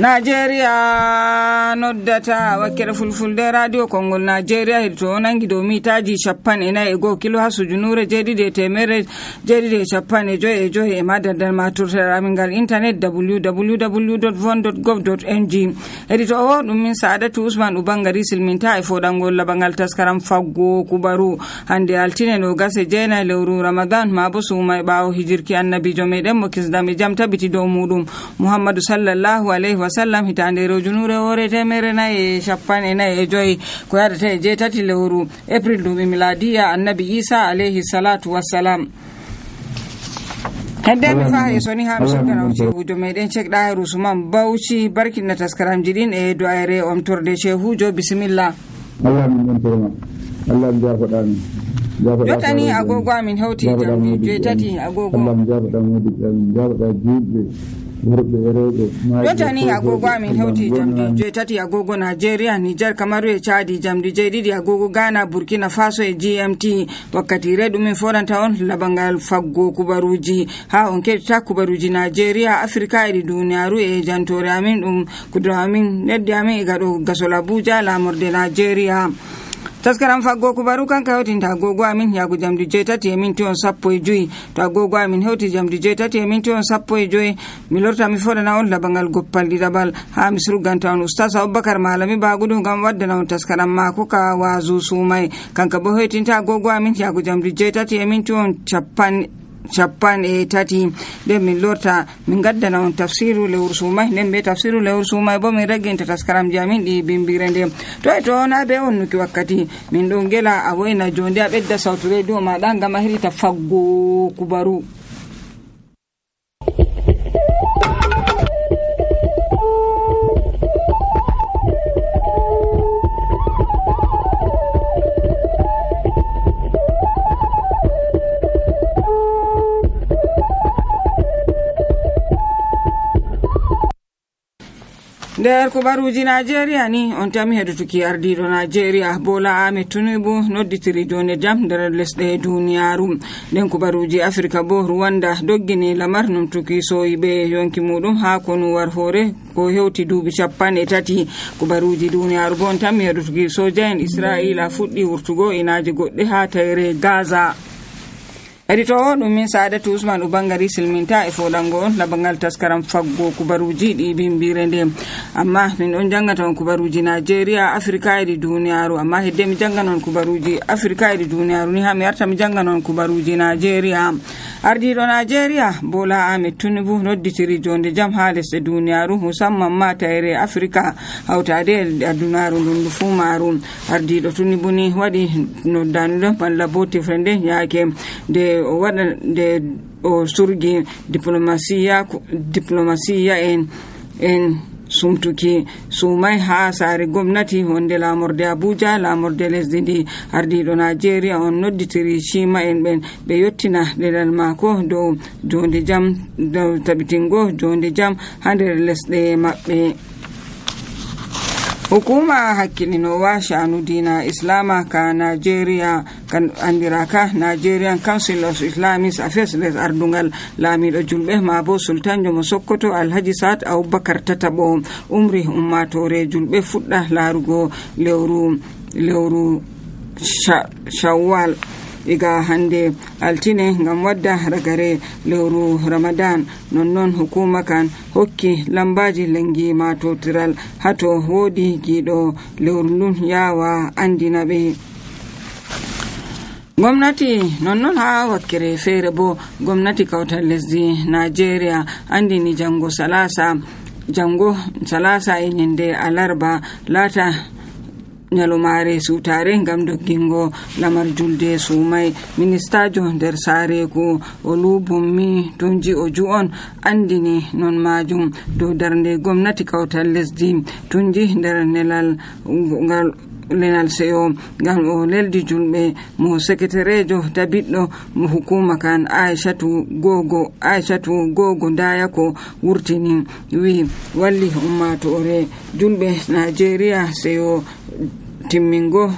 Nigeria noddata wakkere fulfulde radio Kongol Nigeria hirto nangi do mitaji 40 kilo hasu junure jedide temere jedide 15 e madadal maturta mingal internet www.von.gov.ng edito o dum min Saadatu Usman ubangari silminta e fodangol labangal taskaram faggo kubaru hande altine no gase jena lewru Ramadan mabo suma baawo hijirki annabijo meden mo kisdame jam tabiti do mudum Muhammadu sallallahu alaihi wasallam hitande rojunure wore temere na e 15 ko yadata e jetati lewru April dum miladiya annabi Isa alaihi salatu wassalam. Hadde mi fa e soni ha musukana wujo meden cekda Usman Bauchi barkin na taskaram jidin e doare omtorde shehujo bismillah. Allah min torma Allah jafadan yotani agogo amin hawti jamdi jetati agogo Allah jafadan wodi jafada jibbe yotani agogo amin hawti jamdi jetati agogo Nigeria Niger Kamaru e Chadi jamdi jedidi agogo Ghana Burkina Faso e GMT wakkati redum foranta on labangal faggo kubaruji ha on ketta kubaruji Nigeria Afrika e duniyaaru e jantore amin dum kudro amin neddi amin e gado gasola Abuja lamorde Nigeria. Taskaram faggo kubaru kan kawtinta agogo amin yago jamdi jetati e minti on 15 to agogo amin hewti jamdi jetati e minti on 15 mi lorta mi fodana on labangal goppal didabal ha misru ganta on Ustaz Abubakar Malami bagudu gam waddana on taskaram mako ka wazu sumai kanka bo hewtinta agogo amin yago jamdi jetati e minti on 50 de min lorta min gaddana on tafsiru lewru sumai nden be tafsiru lewru sumai bo min ragginta taskaram jamin di bimbirende to na be on nuki wakkati min don gela a woina jonde a bedda sautu radio ma dan gama hirita faggo kubaru. Der kubaruji Nigeria ni on tami hedutuki ardido Nigeria Bola Ahmed Tinubu nodditiri jone jam der lesde duniyaaru den kubaruji Afrika bo Rwanda doggini lamar num tuki soyibe yonki mudum ha konu war hore ko hewti duubi 30 kubaruji duniyaaru bon tami hedutuki soja en Israila fuddi wurtugo inaaje godde ha tayre Gaza. Edito dum min Saadatu Usman ubangari silminta e fodango on labangal taskaram faggo kubaruji di bimbirende amma min on jangata on kubaruji Nigeria Afrika e duniyaaru amma hedde mi janganon kubaruji Afrika e duniyaaru ni ha mi arta mi janganon kubaruji Nigeria ardido Nigeria Bola Ahmed Tinubu nodditiri jonde jam ha lesde duniyaaru musamman ma tayre Afrika hawtade adunaaru dundu fu maru ardido Tinubu ni wadi noddanu balla bote frende yaake de o wada de o surgi diplomasiya en sumtuki sumai ha sare gomnati honde lamorde Abuja lamorde lesdi ndi ardido Nigeria on nodditiri shima en ben be yottina dedal mako do jonde jam do tabitingo jonde jam hande lesde mabbe. Hukuma hakkilinowa sha'anu dina Islama ka Nigeria kan andiraka Nigerian Council of Islamic Affairs les ardungal lamido julbe mabo Sultan Jomo Sokoto Alhaji Saad Abubakar Tatabo umri ummatore julbe fudda larugo lewru Shawwal iga hande altine ngam wadda ragare lewru Ramadan nonnon hukuma kan hokki lambaji lengi matotiral hato wodi gido lewru ndun yawa andina be gwamnati nonnon ha wakkere fere bo gwamnati kautal lesdi Nigeria andini jango salasa e nyende alarba lata nyalomare sutare ngam doggingo lamar julde sumai ministajo der sare ko olubummi tunji ojuon andini non majum do darnde gomnati kawtal lesdi tunji der nelal lenal seo ngam o leldi julbe mo secretarejo tabiddo mo hukuma kan Aishatu gogo daya ko wurtini wi walli ummatore julbe Nigeria seo timmingo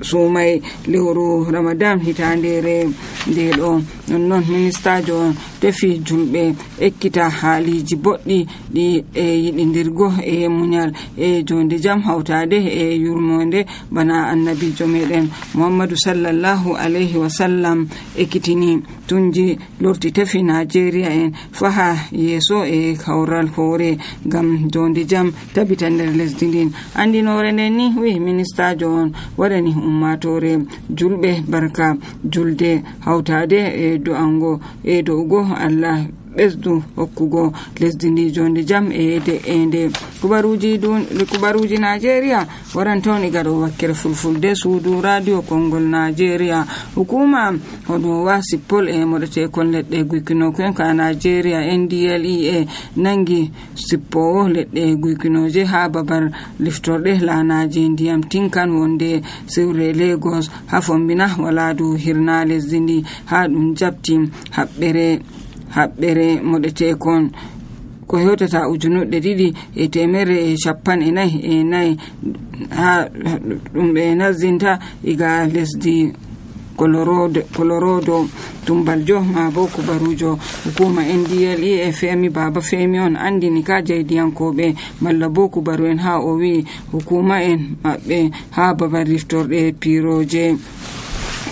sumai lewru Ramadan hitandere nde ɗo. nonnon ministajo on tefi julɓe ekkita haaliji boɗɗi ɗi e yiɗidirgo e muñal e jonde jam hawtade e yurmonde bana annabijo meɗen Muhammadu sallallahu alaihi wa sallam ekkitini tunji lorti tefi Nigeria en faha yeso e kawral hore gam jonde jam tabita nder lesdi ndin. Andinore nden ni wi ministajo on waɗani ummatore julɓe barka julde hawtade e do'ango e do'ugo Allah ɓesdu hokkugo lesdi ndi jonde jam e de'ende. kubaruji Nigeria waran tawni gaɗo wakkere fulfulde suudu radio Kongol Nigeria. Hukuma hono wa sippol e moɗetekon leɗɗe guykinoken ka Nigeria NDLEA nangi sippowo leɗɗe guykinoje ha babar liftorde lanaji ndiyam tinkan wonde sewre Lagos ha fombina waladu hirna lesdi ndi ha ɗum jabti haɓɓere moɗetekon ko hewtata 2,250 ha ɗum ɓe nazinta iga lesdi Colorado tumbaljo ma bo kubarujo hukuma NDLEA Femi Baba Femi on andini ka jeydiyankoɓe malla bo kubaru en ha o wi hukuma en maɓɓe ha babal riftorde piroje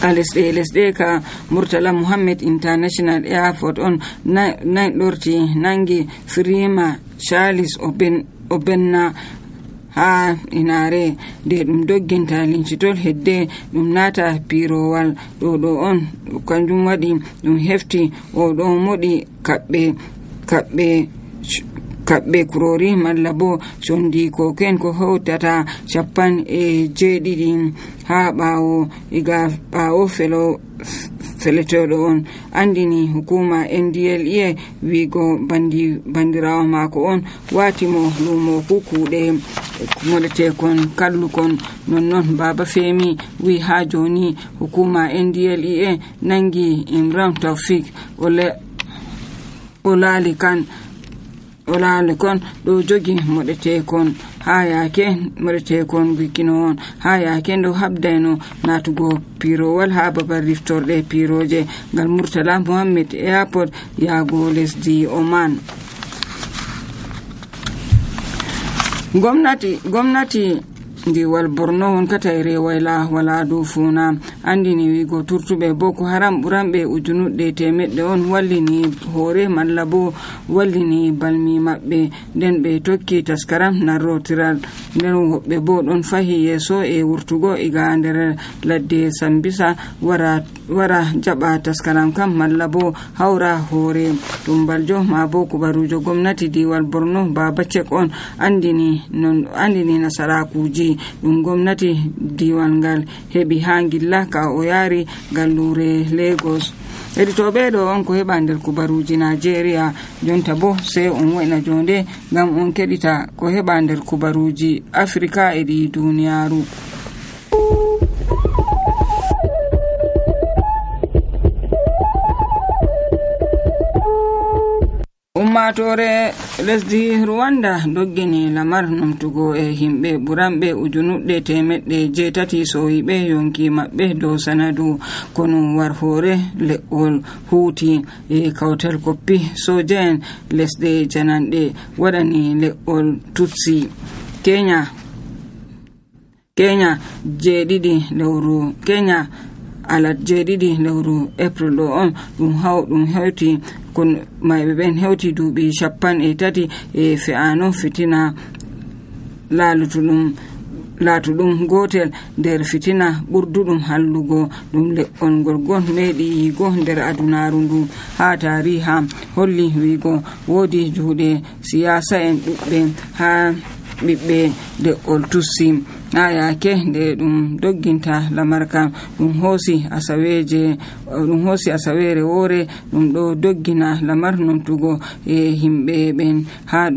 ka lesɗe ka Murtala Muhammed International Airport on ɗorti nangi Firima Charles Obenna ha inare de ɗum dogginta lincitol hedde ɗum nata pirowal ɗo on kanjum waɗi ɗum hefti o ɗo moɗi kaɓɓe kurori malla bo sondi koken ko hewtata 57 ha ɓawo feletoɗo on andini hukuma NDLEA wigo bandirawo mako on watimo lumo kukuɗe moɗetekon kallukon. nonnon Baba Femi wi ha joni hukuma NDLEA nangi Imran Taufik Olalikon ɗo jogi moɗetekon ha yake moɗetekon guykino on ha yake ndo habdayno natugo pirowal ha babal riftorde piroje ngal Murtala Muhammed Airport yago lesdi Oman. Gwamnati ndiwal Borno wonkata e rewayla wala dow funa andini wigo turtuɓe Boko Haram ɓuranɓe 100 on wallini hoore malla bo wallini balmi maɓɓe nden ɓe tokki taskaram narrotiral nden woɓɓe bo ɗon fahi yeso e wurtugo iga nder ladde Sambisa wara jaɓa taskaram kam malla bo hawra hoore tumbaljo ma bo kubarujo gwamnati diwal Borno Baba Cek on andini nasarakuji ɗum gwamnati diwal ngal heɓi ha gilla ka o yaari gallure Lagos. Heditoɓe ɗo on ko heɓa nder kubaruji Nigeria jonta bo sai on wo'ina jonde ngam on keɗita ko heɓa nder kubaruji Afrika e ɗi duniyaru. Ummatore lesdi Rwanda doggini lamar numtugo e himɓe ɓuranɓe 1,800 soyiɓe yonki maɓɓe dow sanadu kono war hore le'ol huuti e kawtal koppi soja en lesɗe jananɗe waɗani le'ol Tutsi. Kenya alat 7 lewru April ɗo on ɗum hewti kon mayɓe ɓen hewti duuɓi 30 e fe'ano fitina laatuɗum gotel nder fitina ɓurduɗum hallugo ɗum le'ol ngolgon meɗi yigo nder adunaru ndu ha tariha holli wigo woodi juuɗe siyasa en ɗuɓɓe ha ɓiɓɓe le'ol Tutsi ha yake nde ɗum dogginta lamar kam ɗum hoosi asawere woore ɗum ɗo doggina lamar numtugo e himɓe ɓen ha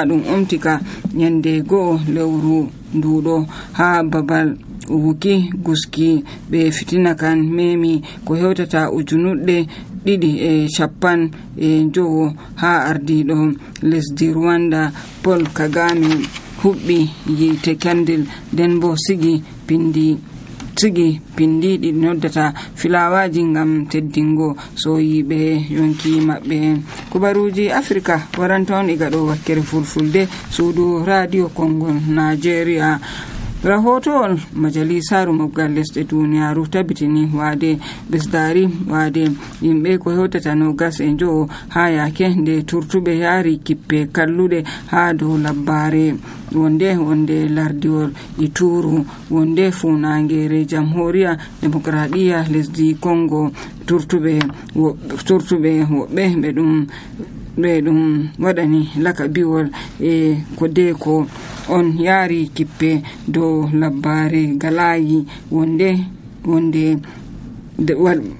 ɗum umtika nyande go'o lewru nduɗo ha babal wuki guski ɓe fitina kan memi ko hewtata 250 ha ardiɗo lesdi Rwanda Paul Kagame huɓɓi yite kandil nden bo sigi pindi sigi pindi ɗi noddata filawaji ngam teddingo soyiɓe yonki maɓɓe. Kubaruji Afrika waranta on iga ɗo wakkere fulfulde suudu radio Kongo Nigeria. Rahotowol majalisaru mobgal lesɗe duniyaru tabitini wade besdari wade yimɓe ko hewtata 25 ha yake nde turtuɓe yaari kippe kalluɗe ha dow labbare wonde lardiwol Ituru wonde funangere jamhuriya demokradiya lesdi Congo turtuɓe woɓɓe ɓe ɗum waɗani lakabiwol Kodeko on yaari kippe dow labbare galayi wonde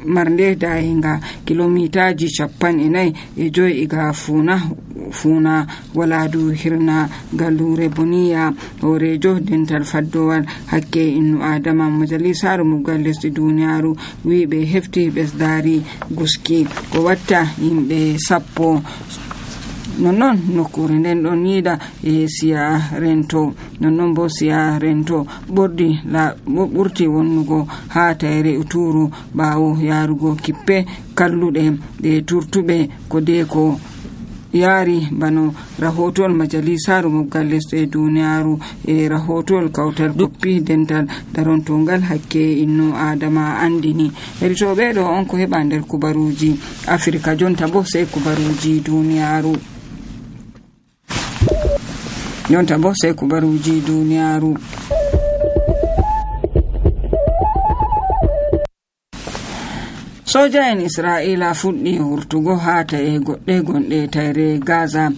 marnde dayinga kilomitaji 45 iga funa waladu hirna galure boniya horejo dental faddowal hakke innu adama. Majalisaru mobgal lesdi duniyaru wiɓe hefti ɓesdari guski ko watta yimɓe 10 nonnon nokkure nden ɗon yiida siya rento nonnon bo siya rento ɓurti wonnugo ha tayre Uturu ɓawo yarugo kippe kalluɗe ɗe turtuɓe Kodeko yaari bano rahotol majalisaru mobgal lesɗe duniyaru rahotol kawtal duppi dental darontongal hakke innu adama andini. Heditoɓe ɗo on ko heɓa nder kubaruji Afrika. Jonta bo sai kubaruji duniyaru. Soja en Isra'ila fuɗɗi wurtugo ha ta'e goɗɗe gonɗe tayre Gaza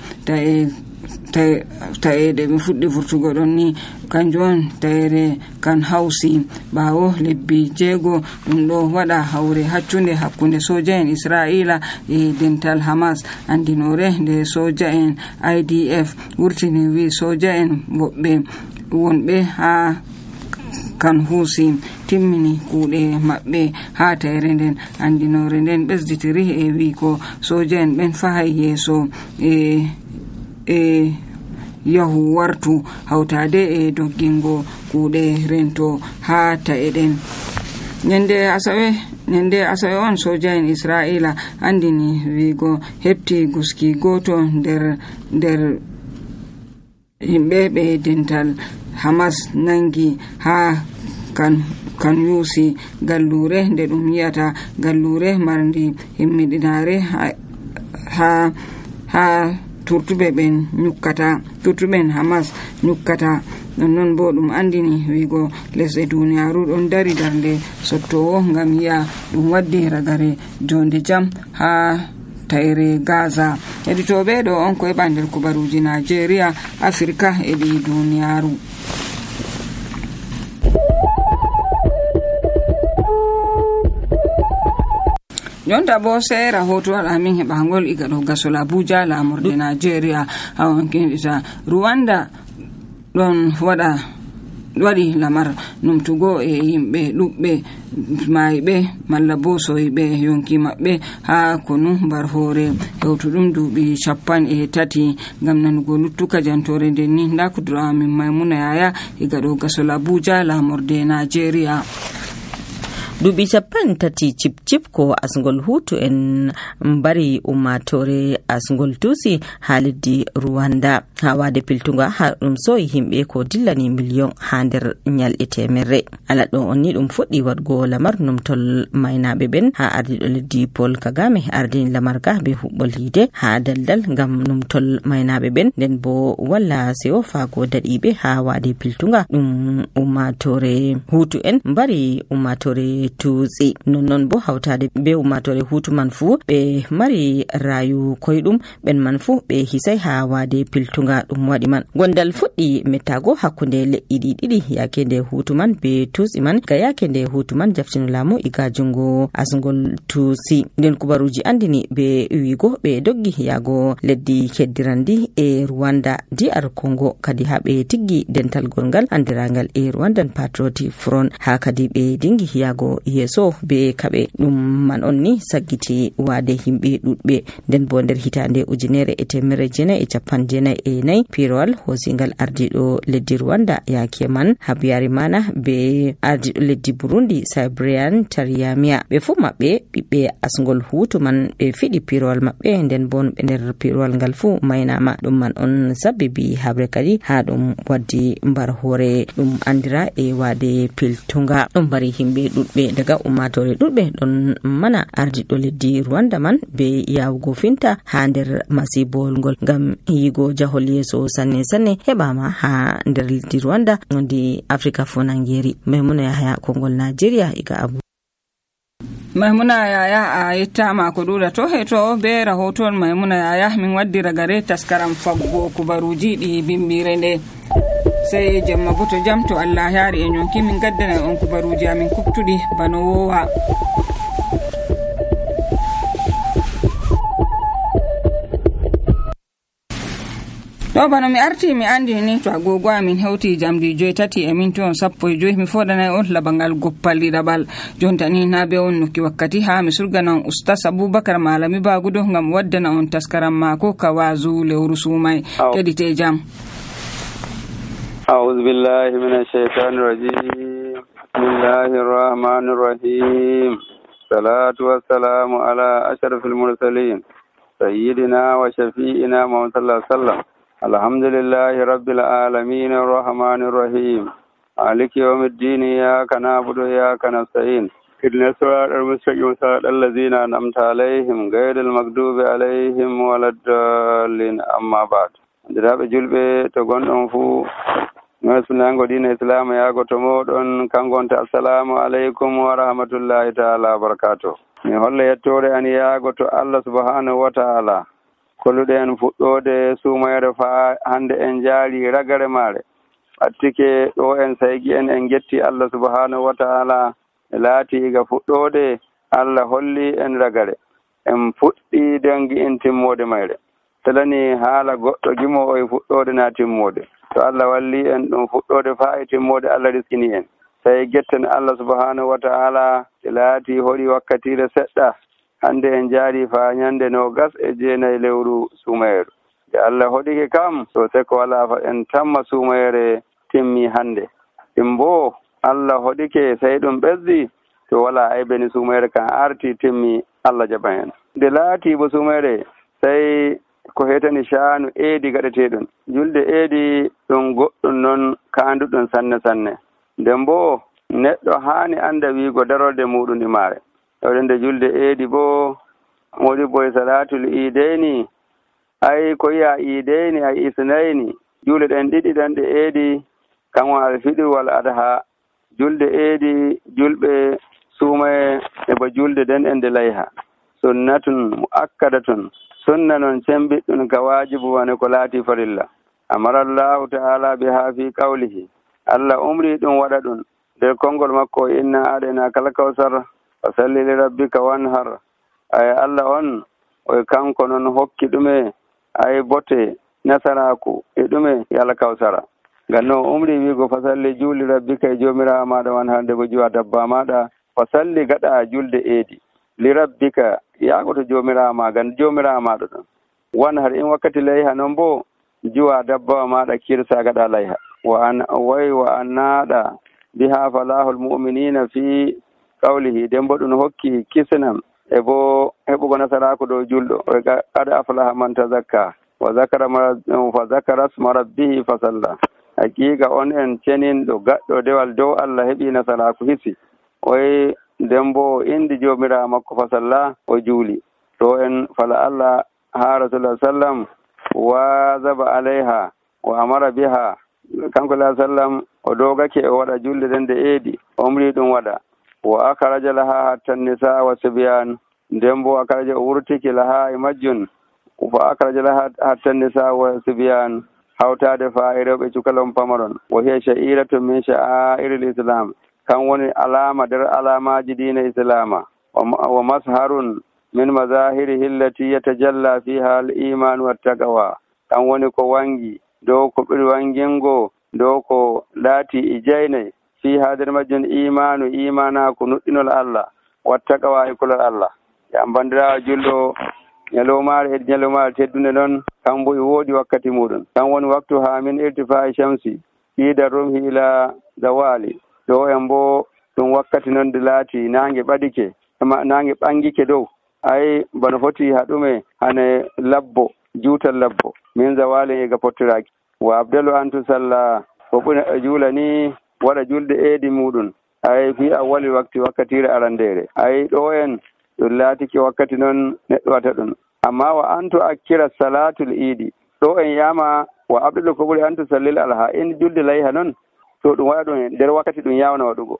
ta'eɗe ɓe fuɗɗi vurtugo ɗon ni kanjum on tayre kan hausi ɓawo lebbi 6 ɗum ɗo waɗa hawre hakkunde soja en Isra'ila dental Hamas. Andinore nde soja en IDF wurtini wi soja en wonɓe ha kan husi timmini kuuɗe maɓɓe ha tayre nden. Andinore nden ɓesditiri wi ko soja en ɓen fahay yeeso yahu wartu hawtade doggingo kuuɗe rento ha ta'e ɗen. Nyande asawe on soja en Isra'ila andini wigo hefti guski goto nder himɓe ɓe dental Hamas nangi ha kan yusi gallure nde ɗum yiyata gallure marndi himmiɗinare ha turtuɓen Hamas nyukkata. Nonnon bo ɗum andini wigo lesɗe duniyaru ɗon dari darnde sottowo ngam yi'a ɗum waddi ragare jonde jam ha tayre Gaza. Heditoɓe ɗo on ko heɓa nder kubaruji Nigeria, Afrika eɗi duniyaru. Jonta bo sai rahotowal amin heɓangol iga ɗo gasol Abuja lamurde Nigeria hawon kendita Rwanda ɗon waɗi lamar numtugo yimɓe ɗuɓɓe mayiɓe malla bo soyiɓe yonki maɓɓe ha konu mbar hoore hewtuɗum duuɓi 30 ngam nanugo luttuka jantore nden ni nda kudura amin Maimuna Yaya iga ɗo gasol Abuja lamurde Nigeria. duuɓi 30 cip ko asngol hutu en mbari ummatore asngol tusi ha leddi Rwanda ha wade piltunga ha ɗum soyi himɓe ko dillani million ha nder nyalɗe temerre. ala ɗo on ni ɗum fuɗɗi wadgo lamar numtol maynaɓe ɓen ha ardiɗo leddi Paul Kagame ardini lamar ga be huɓɓol hide ha daldal ngam numtol maynaɓe ɓen nden bo walla sewo fago daɗiɓe ha wade piltunga ɗum ummatore hutu en mbari ummatore tutsi. Nonnon bo hawtade be ummatore hutu man fu ɓe mari rayu koyɗum ɓen man fu ɓe hisay ha wade piltunga ɗum waɗi man. Gondal fuɗɗi mettago hakkunde leƴƴi ɗiɗi yake nde hutu man be tutsi man ga yake nde hutu man jaftino laamu iga jungo asngol tutsi. Nden kubaruji andini be wigo ɓe doggi yago leddi keddirandi Rwanda DR Congo kadi ha ɓe tiggi dental gongal andiragal Rwandan Patriotic Front ha kadi ɓe dingi yago ardiɗo yeeso be kaɓe. Ɗum man on ni saggiti waade himɓe ɗuɗɓe. Nden bo nder hitande 1994 piirowal hoosingal ardiɗo leddi Rwanda yaake man Habyarimana be ardiɗo leddi Burundi Cyprian Taryamia ɓe fu maɓɓe ɓiɓɓe asngol Hutu man ɓe fiɗi piirowal maɓɓe. Nden bo ɓe nder piirowal ngal fu maynama. Ɗum man on sabibi habre kadi ha ɗum waddi mbar hoore ɗum andira e waade piltunga. Ɗum bari himɓe ɗuɗɓe daga ummatore ɗuɗɓe ɗon mana ardiɗo leddi Rwanda man be yawugo finta ha nder masibol ngol ngam yigo jahol yeeso sanne heɓama ha nder leddi Rwanda ndi Afrika Fonangeri. Maimuna Yahaya Kongol Nigeria iga Abu. Maimuna Yaya a yettama ko ɗuɗa to heto be rahoton Maimuna Yaya min waddi ragare taskaram faggo kubaruji ɗi bimbire nde sai jemma bo to jam to Allah yaari e nyonki min gaddana on kubaruji amin kuptuɗi bano wowa. ɗo bano mi arti mi andi ni to agogo amin hewti jamdi 7:35 mi fodanay on labangal goppal ɗiɗaɓal jontani na be on nokki wakkati ha mi surganan Ustaz Abubakar Malami Bagudo ngam waddana on taskaram mako kawazu lewru sumay kedite jam. أعوذ بالله من الشيطان الرجيم بسم الله الرحمن الرحيم الصلاة والسلام على أشرف المرسلين سيدنا وشفيئنا محمد صلى الله عليه وسلم الحمد لله رب العالمين الرحمن الرحيم مالك يوم الدين إياك نعبد وإياك نستعين اهدنا الصراط المستقيم صراط الذين أنعمت عليهم غير المغضوب عليهم ولا الضالين أما بعد ndiraɓe julɓe to gonɗon fuu mesunango dina islam yago to moɗon kangonta assalamu aleykum wa rahmatullahi taala wa barakatuh. mi holla yettore an yago to Allah subhanahu wa taala kolluɗe en fuɗɗode sumayre fa hande en jaari ragare maare attike ɗo en saygi en getti Allah subhanahu wa taala e laati iga fuɗɗode Allah holli en ragare en fuɗɗi dangi en timmode mayre telani haala goɗɗo gimo e fuɗɗode na timmode to Allah walli en ɗum fuɗɗode fa e timmode Allah riskini en tawi getten Allah subhanahu wa ta'ala e laati hoɗi wakkatire seɗɗa hande en jaari fa ñande 29 lewru sumayru nde Allah hoɗike kam so seko wala fa en tamma sumayre timmi hande timbo Allah hoɗike sey ɗum ɓesdi to wala aybeni sumayre kan arti timmi Allah jaɓan en nde laati bo sumayre sey ko hetani shaanu eedi gaɗeteɗum julde eedi ɗum goɗɗum noon kaanduɗum sanne nden bo neɗɗo haani anda wiigo darorde muɗum ɗi maare nde julde eedi bo moɗi boye salatul ideyni ay ko yiya ideyni ay isnayni julde ɗen ɗiɗi ɗan ɗe eedi kan won alfiɗir wal adha julde eedi julɓe suumaye e bo julde den e nde layha sunnatun muakkadatun sunna noon cembiɗɗum ka waajibu wane ko laati farilla amarallahu ta'ala biha fi qawlihi Allah umri ɗum waɗa ɗum nder konngol makko inna aɗayna kal kawsar fa salli li rabbika wanhar ay Allah on o kanko noon hokki ɗume ay bote nasaraku e ɗume yala kawsara ngam no umri wiigo fa salli juuli rabbika e joomiraawo maɗa wanhar nde bo juwa dabba maɗa fa salli gaɗa julde eedi li rabbika yaago to joomiraawo ma gan joomiraawo maɗa ɗon wanhar in wakkati layha noon bo juwa dabbawa maɗa kirsa gaɗa layha wa an naaɗa biha falahul mu'minina fi qawlihi den bo ɗum hokki kisnam e bo heɓugo nasaraku dow julɗo qad aflaha man tazakka wa zakara sma rabbihi fa salla haqiqa on en ceninɗo gaɗɗo dewal dow Allah heɓi nasaraku hisi oye nden bo indi jomirawo makko fa salla o juuli to en fala Allah ha rasulullah sallam wazaba alayha wa amara biha kanko la sallam o dogake o waɗa julde den de eedi omri ɗum waɗa wa akhraja laha hatta nisa wa sibyan nden bo akhraja o wurtiki laha e majjun fa akhraja laha hatta nisa wa sibyan hawtade fa e rewɓe cukalon pamaron wa hiya sha'iratun min sha'airil islam kan woni alama nder alamaji diina islama wa masharun min mazahirihi allati yatajalla fiha al-iman wa taqwa kan woni ko wangi dow ko ɓuri wangingo dow ko laati e jeyne fi hader majjun imanu imanaku nuɗɗinol Allah wattaqwa e kulol Allah ya bandirawo julɗo ñalowmaare e ñalowmaare teddunde noon kambo e woodi wakkati muɗum kan woni waktu ha min irtifa'i shamsi ida rumhi ila zawali ɗo en bo ɗum wakkati noon de laati nange ɓadike nange ɓangike dow ay bano foti haɗume hane labbo juutal labbo min zawali ega pottiraki wa abdalu antu salla ko ɓuri juula ni waɗa julde eedi muɗum ay fi awwali wakti wakkatire arandere ay ɗo en ɗum laatiki wakkati noon neɗɗo wata ɗum amma wa antu akkira salatul idi ɗo en yama wa abdalu ko ɓuri antu sallil alha en julde layha noon to ɗum waɗa ɗum nder wakkati ɗum yawna waɗugo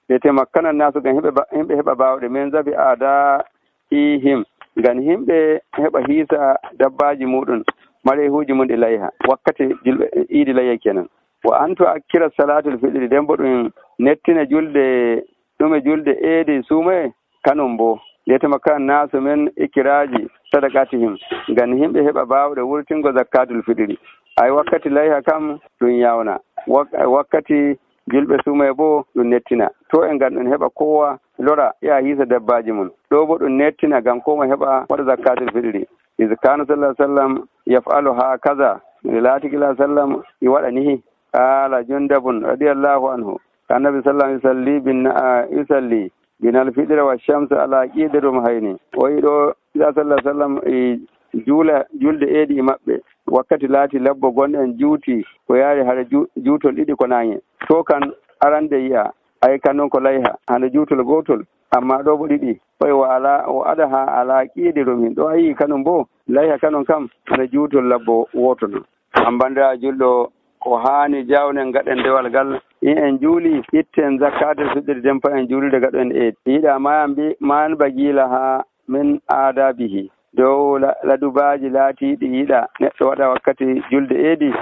ɓe temakkana nasu gam himɓe heɓa bawɗe min zabi ada ihim ngam himɓe heɓa hiisa dabbaji muɗum mare huuji mum ɗi layha wakkati julɓe idi layha kenan wa antu akkira salatul fiɗiri nden bo ɗum nettina julde ɗume julde eedi suumaye kanum bo letema kan nasu men ikkiraji sadaqatihim ngam himɓe heɓa bawɗe wurtingo zakatul fiɗiri ay wakkati layha kam ɗum yawna wakkati julɓe suumaye bo ɗum nettina to e ngam ɗum heɓa kowa lora ya hiisa dabbaji mum ɗo bo ɗum nettina ngam koma heɓa waɗa zakatul fiɗiri iskanu sallah sallam yafalu ha kaza latikila sallam i waɗa nihi qala jundabun radiyallahu anhu annabi sallam yusalli binal fidira wa shamsu ala qidirum hayni o yiɗo ila sallah sallam e julde eedi e maɓɓe wakkati laati labbo gonɗen juuti ko yaari haɗa juutol ɗiɗi ko nange to kan arande yi'a ay kan noon ko layha hande juutol gotol amma ɗo bo ɗiɗi oy o ada ha ala qidirum hin ɗo a yii kanum bo layha kanon kam hande juutol labbo woto noon ambandira julɗo ko haani jawnen gaɗen ndewal ngal in en juuli itten zakate suɗɗiri dempa en juulide gaɗen eedi yiɗa man bagila ha min adabihi dow ladubaji laatiɗi yiɗa neɗɗo waɗa wakkati julde eedi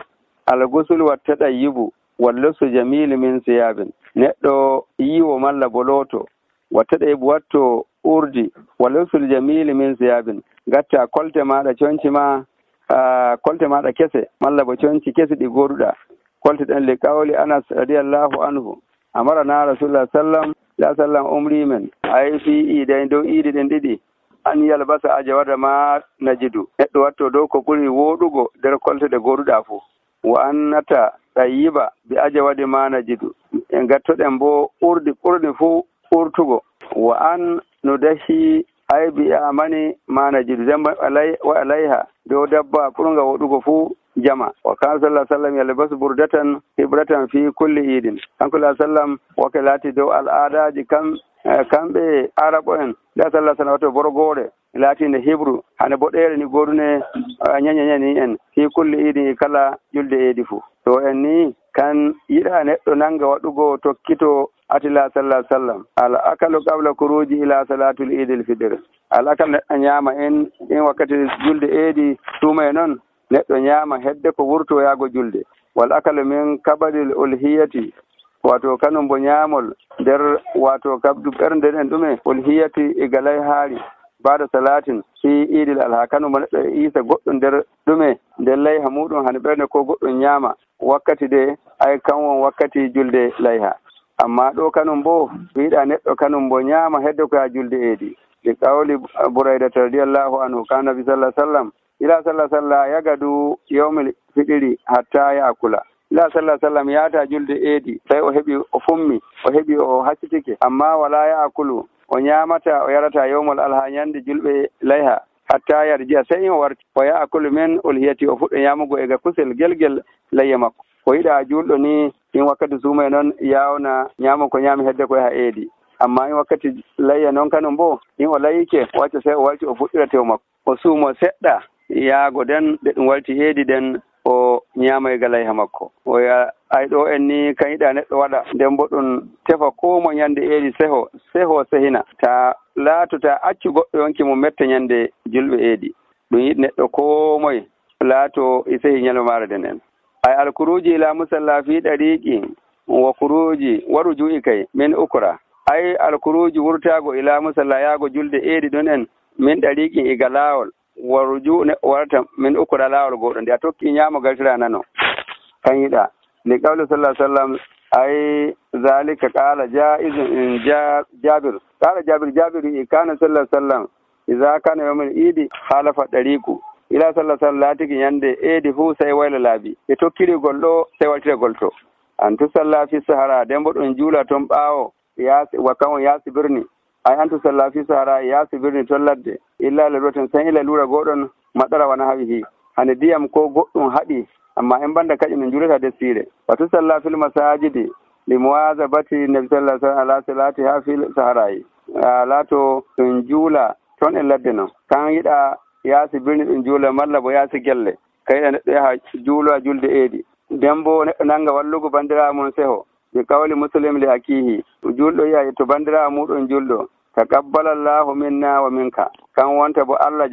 algusul wattaɗa yibu wallusu jamili min siyabin neɗɗo yiwo malla boloto wattaɗa yibu watto urdi wallusul jamili min siyabin gatta kolte maɗa conci ma kolte maɗa kese malla bo conci kese ɗi goduɗa kolte ɗen li qawli anas radiyallahu anhu amarana rasulullah sallam umri men ay fi iidayn dow iidi ɗen ɗiɗi an yalbasa ajawada ma najidu neɗɗo watto dow ko ɓuri woɗugo nder kolte ɗe goduɗa fo wa annata ɗayyiba bi ajawadi ma najidu en gattoɗen bo ɓurɗi fo ɓurtugo wa an no dahi ay bi amani ma najidu demba wa alayha dow dabba ɓurga woɗugo fuu jama wa kana sallah sallam yalbasu burdatan hibratan fi kulli idin kanko sallam wake laati dow al'adaji kamɓe arabo en da sallah sallam wato borgore laatinde hibru hane boɗere ni godune ñañañani en fi kulli idin kala julde eedi fuu to en ni kan yiɗa neɗɗo nanga waɗugo tokkito atila sallah sallam al akalu qabla kuruji ila salatul idil fitr al akal neɗɗo ñaama en wakkati julde eedi suuma noon neɗɗo ñaama hedde ko wurto yaago julde wal akalu min kabadil ulhiyati wato kanum bo ñaamol nder wato kabdu ɓernde ɗen ɗume ulhiyati e galay haari baada salatin fi idil alha kanum bo neɗɗo isa goɗɗo nder ɗume nder layha muɗum hane ɓernde ko goɗɗum ñaama wakkati de ay kan won wakkati julde layha amma ɗo kanum bo wiiɗa neɗɗo kanum bo ñaama hedde ko ha julde eedi li qawli buraydata radiyallahu anhu kana nabi sallah sallam ila sallah yagadu yawmil fitiri hatta yaakula ila sallam yaata julde eedi tawi o heɓi o fummi o heɓi o haccitike amma wala yaakulu o ñaamata o yarata yawmol alha ñande julɓe layha hatta yarjiya sey o warti o yaakulu men ulhiyati o fuɗɗo ñaamugo ega kusel gelgel layya makko ko yiɗa julɗo ni in wakkati suuma noon yawna ñaamo ko ñaami hedde koye ha eedi amma in wakkati layya noon kanum bo in o layike wacca sey o warti o fuɗɗira tew makko o suumo seɗɗa yaago den ɓe ɗum warti eedi den o ñaama e galayha makko oya ay ɗo en ni kan yiɗa neɗɗo waɗa nden bo ɗum tefa ko mo ñande eedi seho sehina ta laatota accu goɗɗo yonki mo metta ñande julɓe eedi ɗum yiɗi neɗɗo ko moye laato e sehi ñalowmaare den en ay alkuruji ila musalla fi ɗariqi wa kuruji waru ju'i kay min ukra ay alkuruji wurtago ila musalla yaago julde eedi ɗon en min ɗariqi e galawol waruju ne warata min ukra lawol goɗɗo nde a tokki ñaamo galtira nano kan yiɗa nde qawle sallah sallam أي ذلك قال جائز إن جابر قال جابر كان صلى الله عليه وسلم إذا كان يوم العيد خالف الطريق ila sallah sallatiki yande eedi fuu sai wayla laabi e tokkirigol ɗo sai waltiragol to an tu salla fi sahara dembo ɗon juula ton ɓaawo wakkan on yaasi birni ay an tu salla fi sahara yaasi birni ton ladde illa lalwatan san ila lura goɗon matsara wana hawihi hande diyam ko goɗɗum haɗi amma en banda kaƴi min juulata desire wa tu salla fil masajidi li muwazabati nabi sallallahu alaihi wasallam ala salati ha fil saharayi laato ton juula ton en ladde non kan yiɗa yaasi birni ɗum juula malla bo yaasi gelle kayɗa neɗɗo yaha juulo a julde eedi nden bo neɗɗo nanga wallugo bandirawo mum seho bi kawli muslim li akihi julɗo yiya to bandirawo muɗum julɗo taqabbalallahu minna wa minka kan wonta bo Allah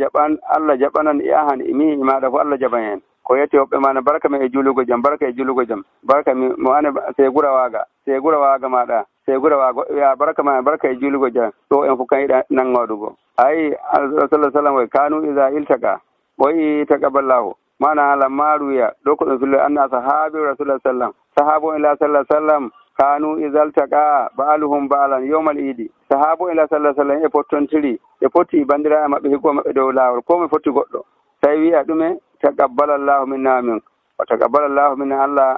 jaɓanan e ahan imi maɗa fo Allah jaɓan en ko yette hoɓɓe mana barka mi e julugo jam barka mi mo ane segura waaga maɗa segura waago ya barka ma barka e julugo jam ɗo en fof kan yiɗa nangoɗugo ayi sallallahu sallam way kanu iza iltaka boyi taqabbalallahu mana lamma ruya ɗo ko ɗum fillo anna sahabi rasulullah sallam sahabo ila sallallahu sallam kanu iza iltaka ba'aluhum ba'alan yawmal idi sahabo ila sallallahu sallam e pottontiri e potti bandira maɓɓe hikko maɓɓe dow lawol ko mi fotti goɗɗo tawi wi'a ɗume taqabbalallahu minna min wa taqabbalallahu minna Allah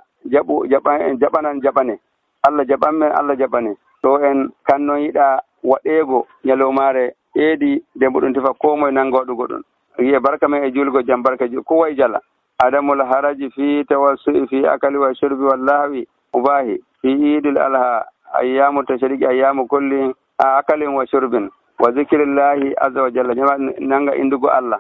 jaɓanan jaɓane Allah jaɓanmen Allah jaɓane ɗo en kanno yiɗa waɗeego ñalowmaare eedi dembo ɗum tefa ko moye nangoɗugo ɗum wiye barka men e julgo jam barka ko way jala adamul haraji fi tawassu'i fi akali wa shurbi wallahi ubahi fi idil alha ayyamu tashriqi ayyamu kulli akalin wa shurbin wa zikrillahi azza wa jalla nanga indugo Allah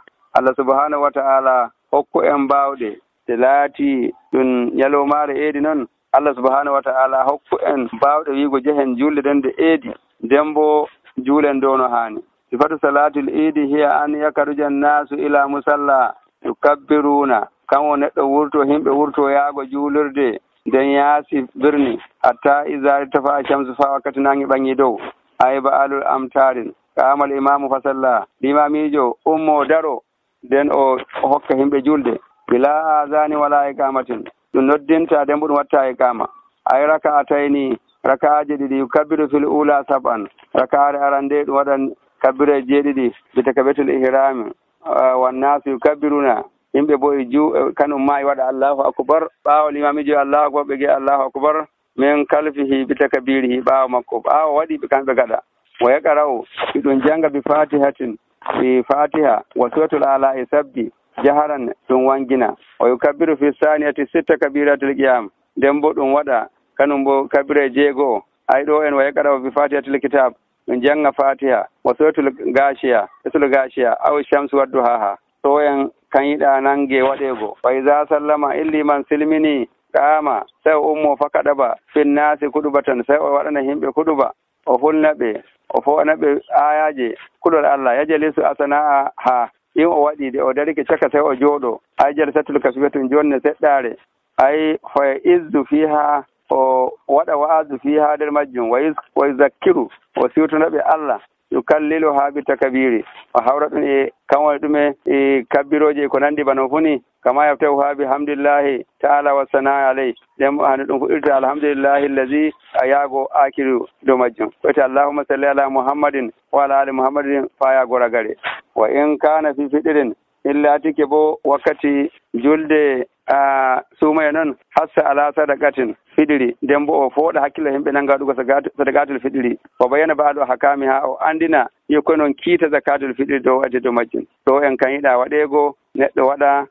subhanahu wa ta'ala hokku en bawɗe te laati ɗum ñalowmaare eedi noon Allah subhanahu wa ta'ala hokku en bawɗe wiigo jehen julde den de eedi dembo juulen dono haani sifatu salatul idi hiya an yakaruja nasu ila musalla yukabbiruna kanwo neɗɗo wurto himɓe wurto yaago juulirde nden yaasi birni hatta iza tafa shamsu fa wakkati nangi ɓangi dow ayba alul amtarin kamal imamu fasalla limamijo ummo daro nden o hokka himɓe julde bila azani wala iqamatin ɗum noddinta nden bo ɗum watta iqama ay raka'atayni raka'aji ɗiɗi yukabbiru fil ula sab'an raka'are arande ɗum waɗan kabbire jeeɗiɗi bitakabetul ihrami wannasu yukabbiruna yimɓe bo kanum ma waɗa allahu akbar ɓaawo limamijo allahu akbar ɓe ge allahu akbar min kalfihi bitakabirihi ɓaawo makko ɓaawo waɗi ɓe kamɓe gaɗa wa yaqra'u ɗum janga bi fatihatin bi fatiha wa suratul ala e sabbi jaharan ɗum wangina wa yukabbiru fi saniyati sitta kabiratul qiyam nden bo ɗum waɗa kanum bo kabire jeego ay ɗo en wa yaqra'u bi fatihatil kitab ɗum janga fatiha wa suratul gashiya aw shamsu wadduhaha to en kan yiɗa nange waɗego fa iza sallama illi man silmini qama sai ummo fakaɗaba finnasi kuɗubatan sai o waɗana himɓe kuɗuba o hulnaɓe o fo'anaɓe ayaje kuɗol Allah yajalisu asana'a ha in o waɗi de o darike caka sai o jooɗo ay jalsatul kasbetun jonne seɗɗare ay fa izdu fiha o waɗa wa'azu fiha nder majjum wa yuzakkiru o siwtonaɓe Allah yukallilu ha bi takabiri o hawra ɗum e kanwone ɗume e kabbiroje ko nandi bano funi kama yaftahu ha bi hamdillahi ta'ala wa sanaa alayhi ɗen hande ɗum fuɗɗirta alhamdulillahi allazi a yaago akiru dow majjum koyte allahumma salli ala muhammadin wa ala ali muhammadin fa yaago ragare wa in kana fi fiɗirin illa tike bo wakkati julde sumaye noon hassa ala sadaqatin fiɗiri nden bo o fooɗa hakkille himɓe nanngaɗugo sadaqatul fiɗiri o bayana baaɗo hakami ha o andina yokkoy noon kiita zakatul fiɗiri dow wadde dow majjum to en kan yiɗa waɗego neɗɗo waɗa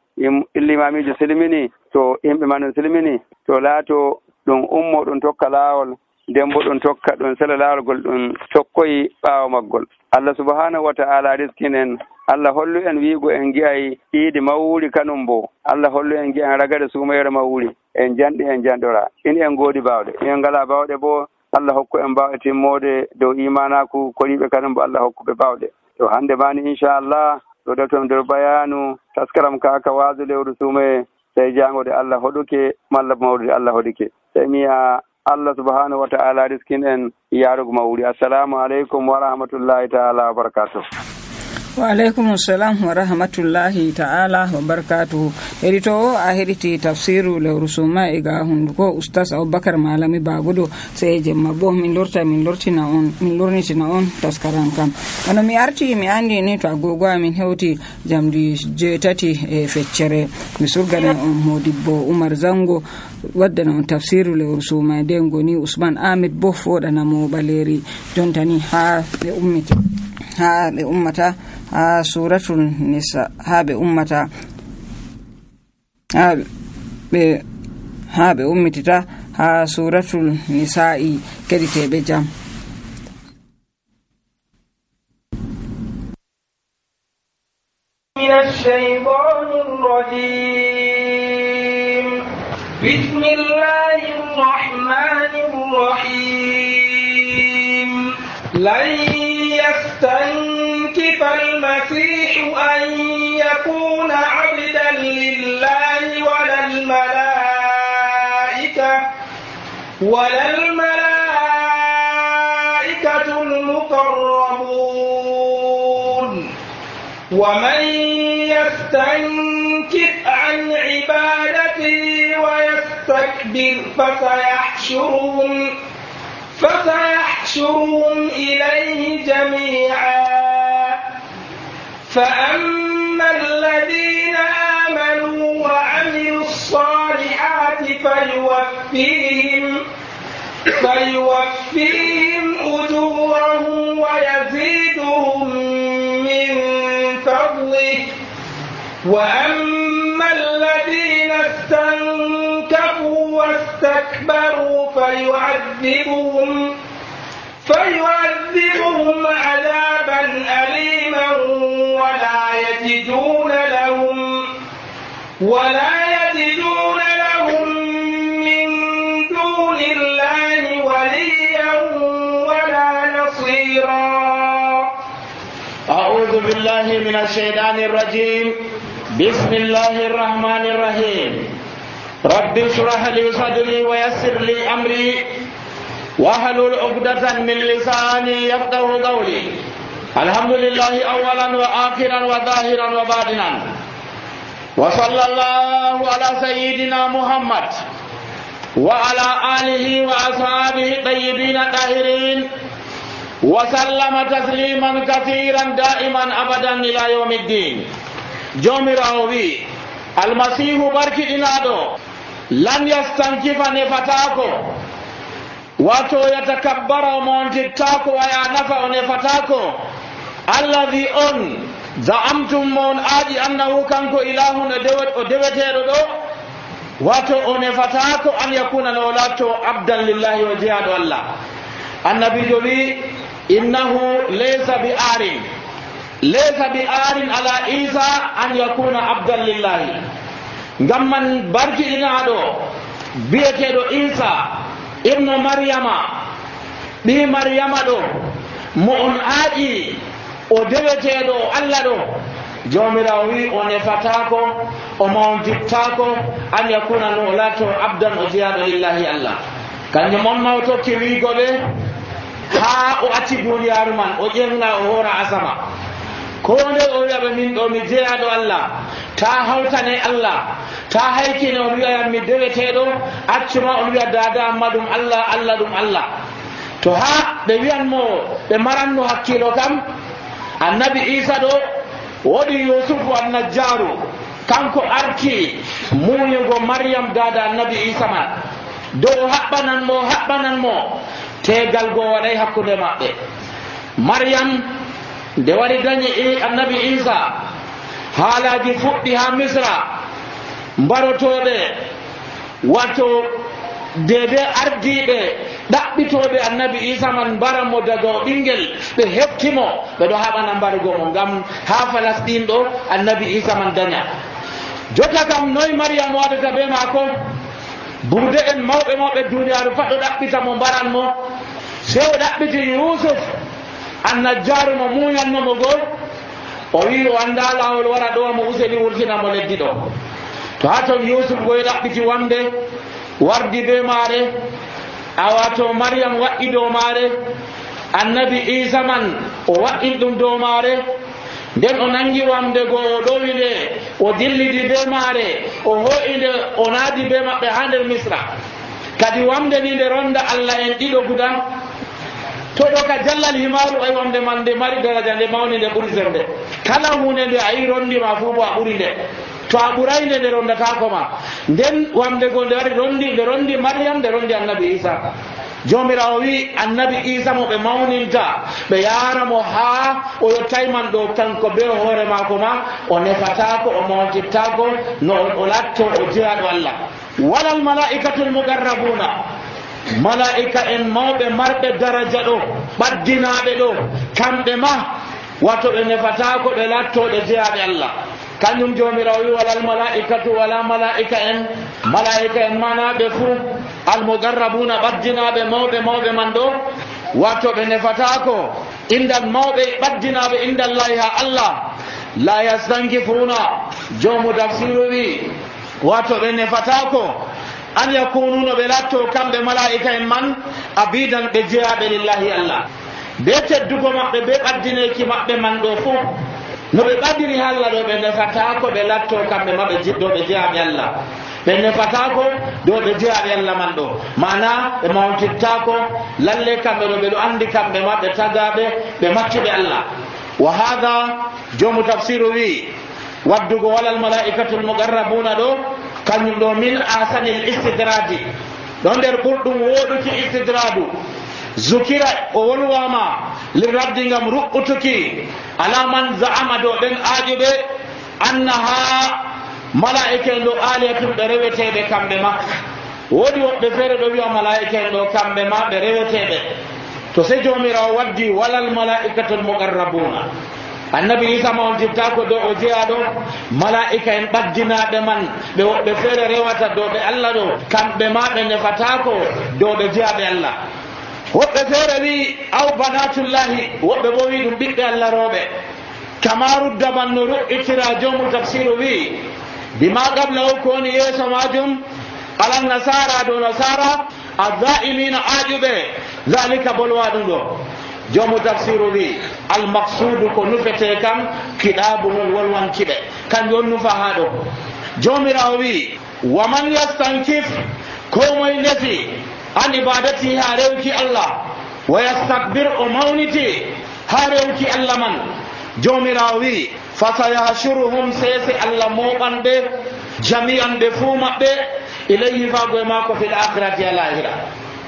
illimamijo silmini to yimɓe ma ɗum silmini to laato ɗum ummo ɗum tokka laawol nden bo ɗum tokka ɗum sela laawol gol ɗum tokkoyi ɓaawo maggol Allah subhanahu wa ta'ala riskinen Allah hollu en wiigo en gi'ay iidi mawuri kanum bo Allah hollu en gi'an ragare sumayere mawuri en janɗi en janɗora in en goodi bawɗe in en ngala bawɗe bo Allah hokku en bawɗe timmode dow imanaku koriɓe kanum bo Allah hokkuɓe bawɗe to hande mani inchallah ɗo ɗotom nder bayanu taskaram kaka waasu lewru sumaye tawi jangode Allah hoɗuke malla mawrude Allah hoɗuke tawi miya Allah subhanahu wa ta'ala riskin en yarugo mawuri assalamu aleykum wa rahmatullahi ta'ala wa barakatuh wa alaikum assalam wa rahmatullahi ta'ala wa barakatuhu. Edito a hediti tafsiru lewru suma ga hunduko ustaz Abubakar Malami Bagudo sai jemma bo min lornitina on taskaran kam. Ono mi arti mi andi ni to agogo amin hewti jamdi 8 e feccere mi surgana on Modibbo Umar Zango waddana on tafsiru lewru suma den goni Usman Ahmed bo fodana mo baleri jontani ha be ummata ha suratul nisa ha be ummata ha be ummitita ha suratul nisa'i kediteɓe jam. من الشيطان الرجيم بسم الله الرحمن الرحيم لن يستنكف المسيح أن يكون عبدا لله ولا الملائكة المقربون ومن يستنكف عن عبادته ويستكبر فسيحشرهم إليه جميعا فأما الذين آمنوا وعملوا الصالحات فيوفيهم أجورهم ويزيدهم من فضله وأما الذين استنكفوا واستكبروا فيعذبهم عذابا أليما ولا يجدون لهم من دون الله وليا ولا نصيرا. أعوذ بالله من الشيطان الرجيم. بسم الله الرحمن الرحيم. رب اشرح لي صدري ويسر لي أمري واحلل عقدة من لساني يفقهوا قولي. الحمد لله أولا وآخرا وظاهرا وباطنا وصلى الله على سيدنا محمد وعلى آله وأصحابه الطيبين الطاهرين وسلم تسليما كثيرا دائما أبدا إلى يوم الدين. جومراوي المسيح بركي إنادو لن يستنكف نفتاكو واتو يتكبر ومونتتاكو ويا نفع نفتاكو الذي زعمتم من آدي أنه كانكو إله ودوتيرو دو واتو نفتاكو أن يكون نولاتو عبدا لله وجهاد الله. النبي جولي إنه ليس بآر على عيسى أن يكون عبدا لله. غمن بركي إنادو بيتيدو عيسى ابن مريم بي مريم دو مؤن آدي o deweteɗo allah ɗo jomirawo wi o nefatako o mawdittako an yakuna no lato abdan o jeyaɗo lillahi allah. kanjum on maw tokki wigoɓe ha o acci duniyaru man o ƴenga o hora asama ko nde o wiyaɓe min ɗo mi jeyaɗo allah ta hawtane allah ta haykine on wiyayam mi deweteɗo accuma on wiya dada amma ɗum allah allah ɗum allah. to ha ɓe wiyanmo ɓe maranno hakkilo kam annabi isa ɗo woɗi yusufu annajjaru kanko arti muñugo maryam dada annabi isa man dow haɓɓananmo tegal go waɗay hakkude maɓɓe. maryam nde waɗi dañi annabi isa haalaji fuɗɗi ha misra mbarotoɓe wato dede ardiɓe ɗaɓɓitoɓe annabi isa man mbaranmo daga o ɓinguel ɓe heftimo ɓeɗo haɓana mbarugo mo ngam ha Falastin ɗo annabi isa man daña. jotta kam noy maryam waɗata be mako? bude en mawɓe duniyaru pat ɗo ɗaɓɓita mo mbaranmo se o ɗaɓɓiti yusuf annajjaru mo muñannomo goo o wi o anda lawol wara ɗo mo useni wurtinamo leddi ɗo. to ha ton yusuf goye ɗaɓɓiti wamde wardi be maare awato maryam waɗi dow maare annabi isa man o waɗin ɗum dow maare nden o nangi wamde go o ɗowi nde o dillidi be maare o ho'i nde o naadi be maɓɓe ha nder misra kadi wamde ni nde ronda Allah en ɗiɗo guda to ɗo ka jallal himaru ay wamde man nde mari daraja nde mawni nde ɓuri sembe kala hunde nde a yi rondima fuu bo a ɓuri nde to a ɓuray nde nde rondatako ma nden wamde go nde wari nde rondi Maryam nde rondi annabi Isa jomirawo wi annabi Isa mo ɓe mawninta ɓe yaramo ha o yottay man ɗo kanko be hoore mako ma o nefatako o mawtittako no o latto o jeyaɗo Allah walal malaikatul mugarrabuna malaika en mawɓe marɓe daraja ɗo ɓaddinaɓe ɗo kamɓe ma wato ɓe nefatako ɓe lattoɓe jeyaɓe Allah kañum jomirawo wi walal malaikatu wala malaika en manaɓe fuu almugarrabuna ɓaddinaɓe mawɓe man ɗo wato ɓe nefatako indal mawɓe ɓaddinaɓe indallahi ha Allah la yastankifuna jomu tafsiru wi wato ɓe nefatako an yakununo ɓe latto kamɓe malaika en man abidan ɓe jeyaɓe lillahi Allah be teddugo maɓɓe be ɓaddineki maɓɓe man ɗo fuu no ɓe ɓadiri Allah ɗo ɓe nefatako ɓe latto kamɓe ma ɗo ɓe jeyaɓe Allah ɓe nefatako ɗo ɓe jeyaɓe Allah man ɗo mana ɓe mawtittako lalle kamɓe ɗo ɓeɗo andi kamɓe ma ɓe tagaɓe ɓe maccuɓe Allah wa hada jomu tafsiru wi waddugo walal malaikatul mugarrabuna ɗo kañum ɗo min asanil istidradi ɗo nder ɓurɗum woɗuki istidradu zukira o wolwama liraddi ngam ruɓɓutuki ala man za'ama do ɓen aajuɓe annaha malaika en ɗo aliyatun ɓe reweteɓe kamɓe ma woodi woɓɓe feere ɗo wiya malaika en ɗo kamɓe ma ɓe reweteɓe to se jomirawo waddi walal malaikatul mugarrabuna annabi Isa mawtittako do o jeyaɗo malaika en ɓaddinaɓe man ɓe woɓɓe feere rewata dow ɓe Allah ɗo kamɓe ma ɓe nefatako dow ɓe jeyaɓe Allah woɓɓe feere wi aw banatullahi woɓɓe bo wi ɗum ɓiɓɓe Allah rooɓe kamarudda man no ru'itira jomu tafsiru wi bima qabla o ko woni yeeso majum alan nasara dow nasara azzaimina aaƴuɓe zalika bolwa ɗum ɗo jomu tafsiru wi almaksudu ko nufete kam kiɗabu ngol wolwankiɓe kanjum on nufa ha ɗo jomirawo wi waman yastankif ko moye nefi an ibadati ha rewki Allah wa yastakbir o mawniti ha rewki Allah man jomirawo wi fasayahshuruhum sese Allah moɓanɓe jami'an ɓe fuu maɓɓe ilayhi fago e mako fil akhirati alahira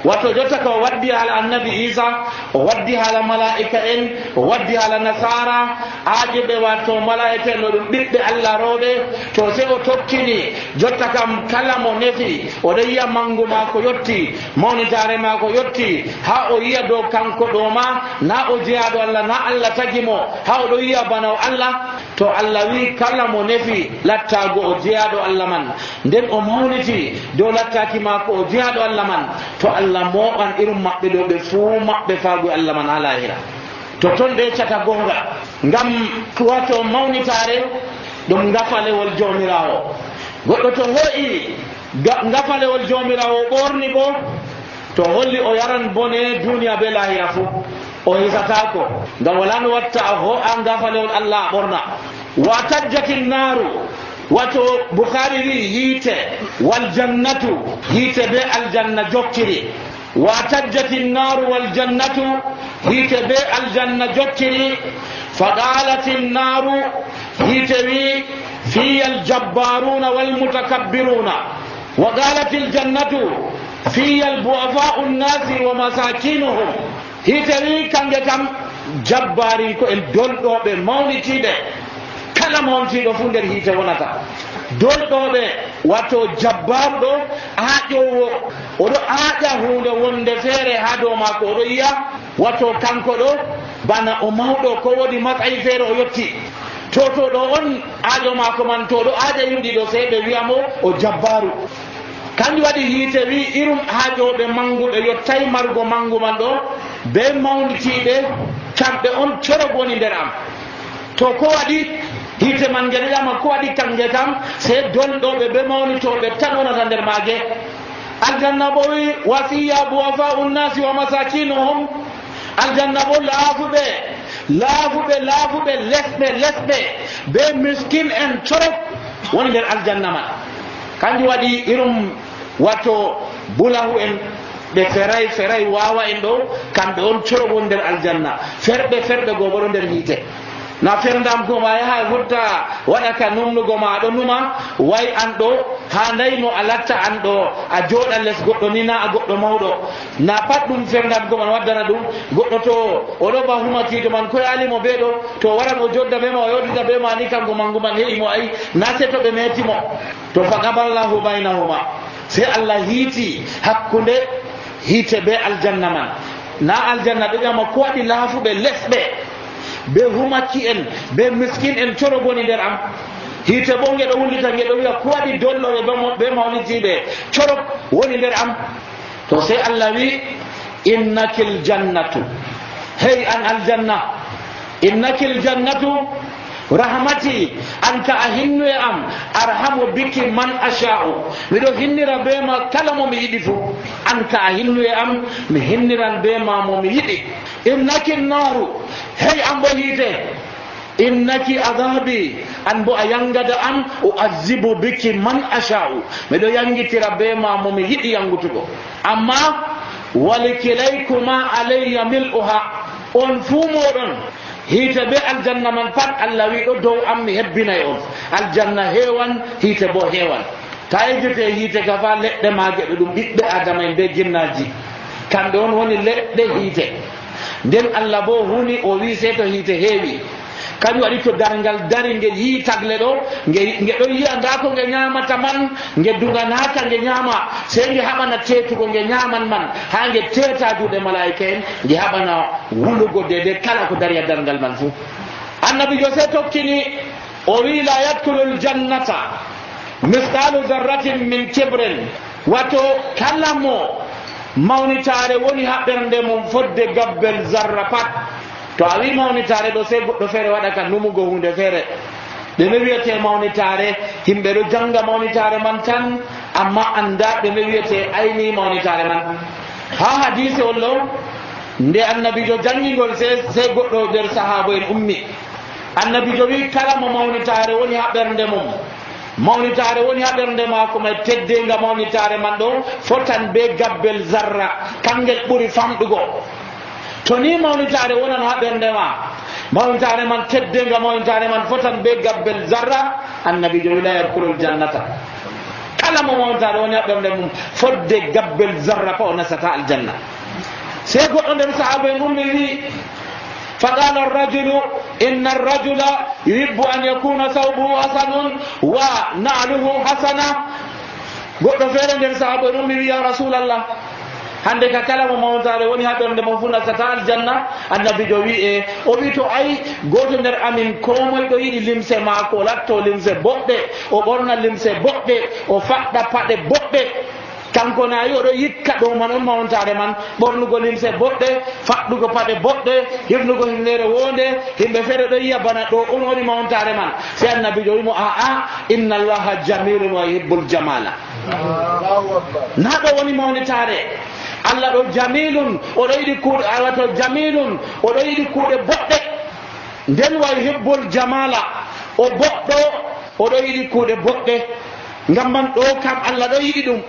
wato jotta ko waddi hala annabi Isa o waddi hala malaika en o waddi hala nasara aajiɓe wato malaika en no ɗum ɓiɓɓe Allah rooɓe to se o tokkini jotta kam kala mo nefi oɗo yiya mangu mako yotti mawnitare mako yotti ha o yiya dow kanko ɗo ma na o jeyaɗo Allah na Allah tagimo ha oɗo yiya bana o Allah to Allah wi kala mo nefi lattago o jeyaɗo Allah man nden o mawniti dow lattaki mako o jeyaɗo Allah man to Allah moɓan irum maɓɓe ɗo ɓe fuu maɓɓe faago Allah man ha lahira to ton ɓe cata gonga ngam wato mawnitare ɗum ngafalewol jomirawo goɗɗo to ho'i ngafalewol jomirawo ɓorni bo to holli o yaran bone duniya be lahira fuu o hisatako ngam wala no watta a ho'a ngafalewol Allah ɓorna wa tajjati naru wato Bukhari wi hiite wal jannatu hiite be aljanna jokkiri wa tajjati naru wal jannatu hiite be aljanna jokkiri faqalati naru hiite wi fiya aljabbaruna wal mutakabbiruna wa qalat aljannatu fiya albu'afa'u nnasi wa masakinuhum hiite wi kange kam jabbari ko en dolɗoɓe mawnitiɓe kala mawntiɗo fu nder hiite wonata dolɗoɓe wato jabbaruɗo aaƴowo oɗo aaƴa hunde wonde feere ha dow mako oɗo yiya wato kanko ɗo bana o mawɗo ko woɗi matsayi feere o yetti to ɗo on aaƴo mako man to ɗo aaƴa yimɗi ɗo sey ɓe wiyamo o jabbaru kanjum waɗi hiite wi irum aaƴoɓe manguɓe yottay margo mangu man ɗo be mawnitiɓe kamɓe on corog woni nder am to ko waɗi hiite man geɗeɗama ko waɗi kange kam se dolɗoɓe ɓe mawnitoɓe tan wonata nder maage aljanna bo wi wasiya buwafa'u nnasi wa masakinuhum aljanna bo laafuɓe lesɓe be miskin en corok woni nder aljanna man. kanjum waɗi irum wato bulahu en ɓe feray wawa en ɗo kamɓe on corok woni nder aljanna. ferɓe goo bo ɗo nder hiite. na ferdam goma yaha hutta waɗa ka numnugo ma aɗo numa way an ɗo ha ndayno a latta an ɗo a jooɗa les goɗɗo ni na a goɗɗo mawɗo. na pat ɗum ferdam goma waddana ɗum. goɗɗo to oɗo ba humakiido man ko yalimo ɓe ɗo to waran o jodda be ma o yewtita be ma ni kanko manguman heƴimo ayi na se to ɓe metimo to faqaballahu baynahuma se Allah hiiti hakkunde hiite be aljanna man. na aljanna ɗo ƴama ko waɗi laafuɓe lesɓe be humaki en be miskin en coro goni nder am. hiite bo ngeɗo wullita ngeɗo wiya ko waɗi dolloɓe be mawnitiɓe coro woni nder am. to sey Allah wi innakil jannatu hey an aljanna innakil jannatu rahmati an ka a hinnu e am arhamu biki man asha'u miɗo hinnira be ma kala mo mi yiɗi fu. an ka a hinnu e am mi hinniran be ma mo mi yiɗi. innaki naru hey an bo hiite innaki adabi an bo a yangada am u'azzibu biki man asha'u miɗo yangitira be ma mo mi yiɗi yangutugo. amma walikilaykuma alayya mil'uha on fuu moɗon hiite be aljanna man pat Allah wi ɗo dow am mi hebbinay on. aljanna heewan hiite bo heewan. ta ejjete hiite ka fa leɗɗe maage ɗo ɗum ɓiɓɓe adama en be jinnaji kamɓe on woni leɗɗe hiite. nden Allah bo huni o wi se to hiite heewi kañum waɗi to dargal dari nge yii tagle ɗo nge ɗon yiya nda ko nge ñamata man nge duganaka nge ñama sey nge haɓana tetugo nge ñaman man ha nge teta juuɗe malaika en nge haɓana wulugo dede kala ko dari a dargal man fuu. annabijo se tokkini o wi la yadkulu ljannata misqalu darratin min kibrin wato kala mo mawnitare woni ha ɓernde mum fodde gabbel zarra pat. to a wi mawnitare ɗo sey goɗɗo feere waɗa ka numugo hunde feere ɗume wiyete mawnitare himɓe ɗo janga mawnitare man tan amma anda ɗume wiyete ayni mawnitare man. ha hadise on ɗo nde annabijo jangigol sey goɗɗo nder sahaba en ummi. annabijo wi kala mo mawnitare woni ha ɓernde mum mawnitare woni ha ɓernde maako may teddenga mawnitare man ɗo fotan be gabbel zarra kangel ɓuri famɗugo. to ni mawnitare wonan ha ɓernde ma mawnitare man teddenga mawnitare man fotan be gabbel zarra annabijo wi la yadkulul jannata kala mo mawnitare woni ha ɓernde mum fodde gabbel zarra pa o nasata aljanna. sey goɗɗo nder sahaba en ummi wi فقال الرجل إن الرجل يحب أن يكون ثوبه حسن ونعله حسنة. goɗɗo feere nder sahaba en ummi wi ya rasulallah hande ka kala mo mawnitare woni ha ɓernde mo fu nasata aljanna. annabijo wi o wi to ayi goto nder amin ko moye ɗo yiɗi limse maako o latto limse boɗɗe o ɓorna limse boɗɗe o faɗɗa paɗe boɗɗe kanko nayi oɗo yikka ɗo man on mawnitare man ɓornugo limse boɗɗe faɗɗugo paɗe boɗɗe hifnugo himnere wonde himɓe feere ɗo yiya bana ɗo on woni mawnitare man. se annabijo wimo aa inna allaha jamilun wa yuhibbul jamala. na ɗo woni mawnitare. Allah ɗo jamilun oɗo yiɗi kuuɗe wato jamilun oɗo yiɗi kuuɗe boɗɗe nden wa yuhibbul jamala o boɗɗo oɗo yiɗi kuuɗe boɗɗe. ngam man ɗo kam Allah ɗo yiɗi ɗum.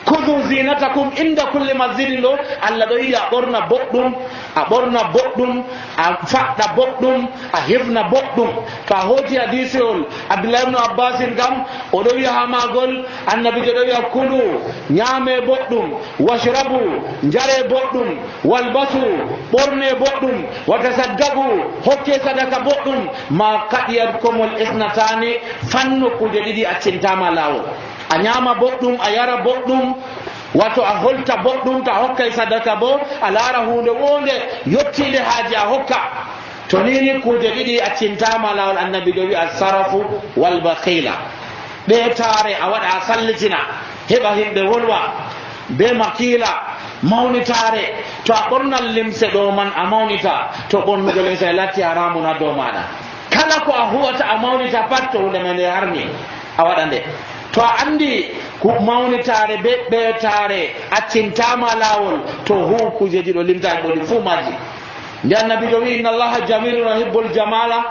kudu zinatakum inda kulli masjidin ɗo Allah ɗo yiɗi a ɓorna boɗɗum a faɗɗa boɗɗum a hefna boɗɗum. to a hooti hadisewol Abdullah ibn Abbasin kam oɗo wiya ha magol annabijo ɗo wiya kulu ñaame boɗɗum washrabu njare boɗɗum walbasu ɓorne boɗɗum watasaddagu hokke sadaka boɗɗum ma kaɗiyat komol isnatani fanno kuje ɗiɗi accintama lawol. a ñaama boɗɗum a yara boɗɗum wato a holta boɗɗum to a hokkay sadaka bo a laara hunde wonde yottinde haaji a hokka. to nini kuje ɗiɗi accintama lawol annabijo wi alsarafu walbakhila ɓeetare a waɗa a sallitina heɓa himɓe wolwa be makila mawnitare. to a ɓornan limse ɗo man a mawnita to ɓornugo limse latti haramun ha dow maɗa. kala ko a huwata a mawnita pat to hunde men nde harmi a waɗa nde. to a andi ko mawnitare be ɓeetare accintama lawol to hu kujeji ɗo limtani ɗo ɗi fuu maji nde annabijo wi inna allaha jamilun yuhibbul jamala,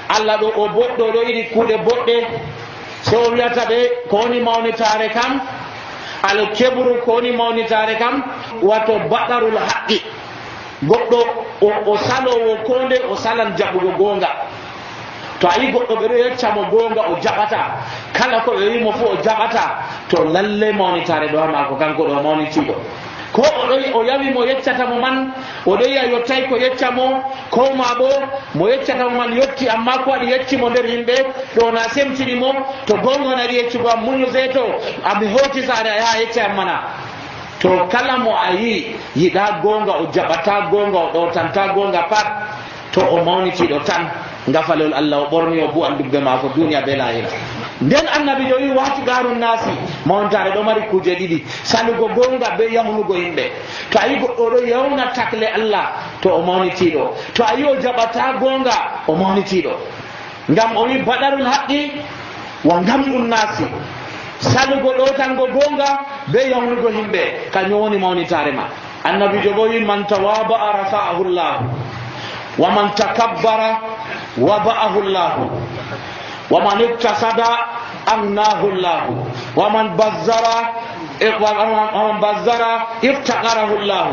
allah ɗo o boɗɗo ɗo yiɗi kuuɗe boɗɗe. so o wiyata ɓe ko woni mawnitare kam al kebru ko woni mawnitare kam wato baɗarul haqqi, goɗɗo o salowo ko nde o salan jaɓugo gonga. to a yi goɗɗo ɓe ɗo yeccamo gonga o jaɓata, kala ko ɓe wimo fof o jaɓata, to lalle mawnitare ɗo ha mako kanko ɗo mawnitiɗo. ko o yawi mo yeccatamo man o ɗo yiya yottay ko yeccamo, ko ma bo mo yeccatamo man yotti amma ko waɗi yeccimo nder yimɓe ɗo na semtinimo. to gonga naɗi yeccugo am muñu seeto ami hoti sare a yaha yecca am mana. to kala mo a yi yiɗa gonga o jaɓata gonga o ɗowtanta gonga pat, to o mawnitiɗo tan ngafalol allah o ɓorni o bu'an dubbe mako duniya be lahira. nden annabi jo wi wati garun nasi, mawntare ɗo mari kuje ɗiɗi, salugo gonga be yahnugo yimɓe. to a yi goɗɗo ɗo yawna takle allah to o mawnitiɗo, to a yi o jaɓata gonga o mawnitiɗo. ngam o wi baɗarul haqqi wa gamɗum nasi, salugo ɗotango gonga be yawnugo yimɓe kañum woni mawnitare ma. annabi jo bo wi man tawaba'a rafa'ahu llah wa man takabbara waba'ahu llah wa man iktasada amnahu llah wa man bazzara iftaqarahu llah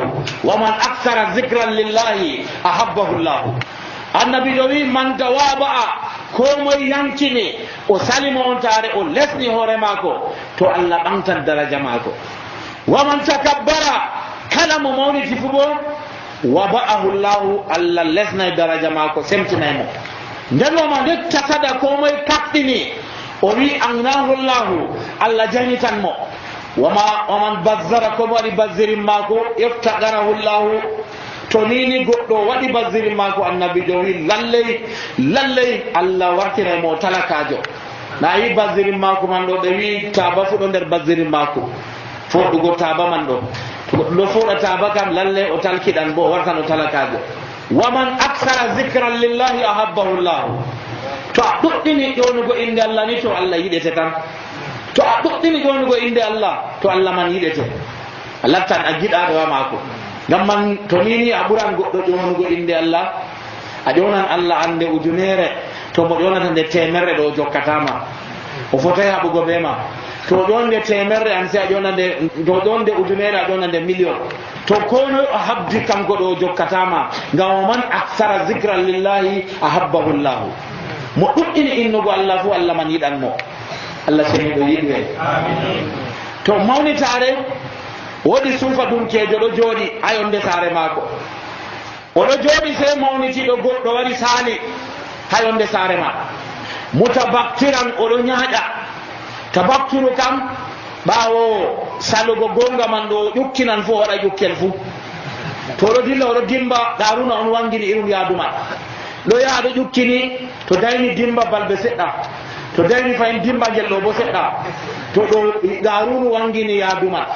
wa man akthara zikran lillahi ahabbahu llah. annabi jo wi man tawaba'a ko moye yankini o salimo on tare o lesni hoore mako to allah ɓamtan daraja mako. wa man takabbara kala mo mawniti fu bo waba'ahu llahu allah lesnay daraja mako semtinaymo. nden wama nde tasada ko moye kaɓɗini o wi agnahu llahu allah janitanmo. waman bazzara komo waɗi bazzirin mako iftaqarahu llahu to nini goɗɗo waɗi bazzirin mako annabi jo wi lalley allah wartiraymo talakajo. na yi bazzirin mako man ɗo ɓe wi taba fuɗo nder bazzirin mako foɗugo taba man ɗo, to goɗɗo foɗa taba kam lalle o talkiɗan bo o wartan o talakajo. waman aksara zicran lillahi ahabbahu llah, to a ɗuɗɗini ƴonugo inde allah ni to allah yiɗete tan. to a ɗuɗɗini ƴonugo inde allah to allah man yiɗete, a lattan a giɗaɗo wa mako. ngam man to nini a ɓuran goɗɗo ƴonugo inde allah, a ƴonan allah ande ujunere, to mo ƴonata nde temerre ɗo o jokkatama, o fotay haɓugo be ma. to ƴonde temerre an si a ƴonande, to ƴonde ujunere a ƴonande million, to kono o habdi kanko ɗo o jokkatama. ngam o man aksara zicran lillahi ahabbahu llahu, mo ɗuɗɗini innugo allah fu allah man yiɗanmo. allah seniɗo yiɗi hen. to mawnitare woɗi suufa dunkejo ɗo jooɗi ha yonde saare maako, oɗo jooɗi sey mawnitiɗo goɗɗo wari saali ha yonde saare ma, mutabaktiran oɗo ñaaƴa. tabaktiru kam ɓaawo salugo gonga man ɗo ƴukkinan fo waɗa ƴukkel fuu. to oɗo dilla oɗo dimba garuna on wangini irum yaaduma ɗo yaha ɗo ƴukkini, to dayni dimba balɓe seɗɗa, to dayni fayin dimba ngel ɗo bo seɗɗa, to ɗo garunu wangini yaaduma.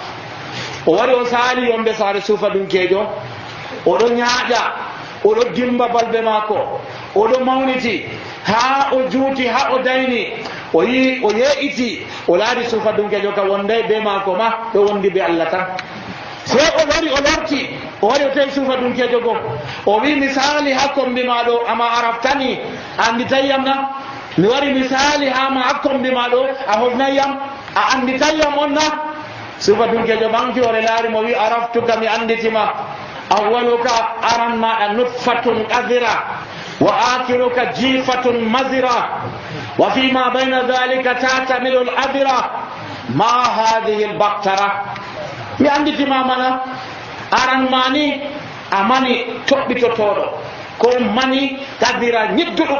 o wari o saali yombe saare suufa dunkejo, oɗo ñaaƴa, oɗo dimba balɓe maako, oɗo mawniti ha o juuti ha o dayni, o yi o yeeƴiti, o laari suufa dunkejo ka wonday be maako ma ɗo wondi be allah tan. sey o wari o lorti, o wari o tawi suufa dunkejo go, o wi misali ha kombi ma ɗo ama araftani, a anditayyam na? mi wari misali ha ma ha kombi ma ɗo a hofnayyam, a anditayyam on na? suufa dunkejo ɓanki ore laari mo wi araftuka mi anditima, awwaluka aran maɗa nutfatun qadira wa akhiruka jifatun mazira wa fima bayna dhalika tatamilu l adira ma hadihi l baktara. mi anditima mana, aran mani amani toɓɓitotoɗo, ko mani qadira ñidduɗo,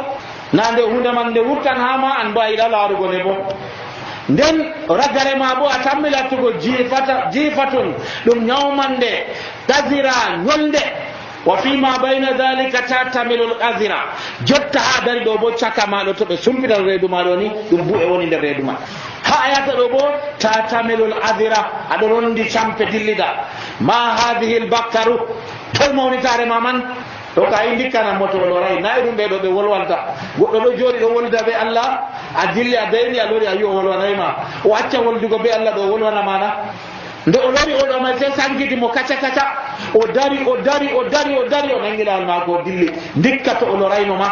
nande hunde man nde wurtan hama an bo a yiɗa laarugo ne bo. nden ragare ma bo a tammilattugo jifatun ɗum ñawmande qadira ñolde, wa fima bayna dhalika tatamilul qadira, jotta ha dari ɗo bo caka maɗo to ɓe sumpitan reedu maɗo ni ɗum bu'e woni nder reedu ma. ha a yata ɗo bo tatamilul adira, aɗo rondi campe dillida. ma hadihi l bakkaru, toy mawnitare ma man ɗo ka yi ndikkanan mo to loray nayi ɗum ɓeɗo ɓe wolwanta. goɗɗo ɗo jooɗi ɗo wolda be allah, a dilli a dayni a lori a yi o wolwanayma, o acca woldugo be allah ɗo wolwana mana. nde o lori oɗo may sey sankiti mo kaca kaca, o dari o nangi lawol maako o dilli dikka to o lorayno ma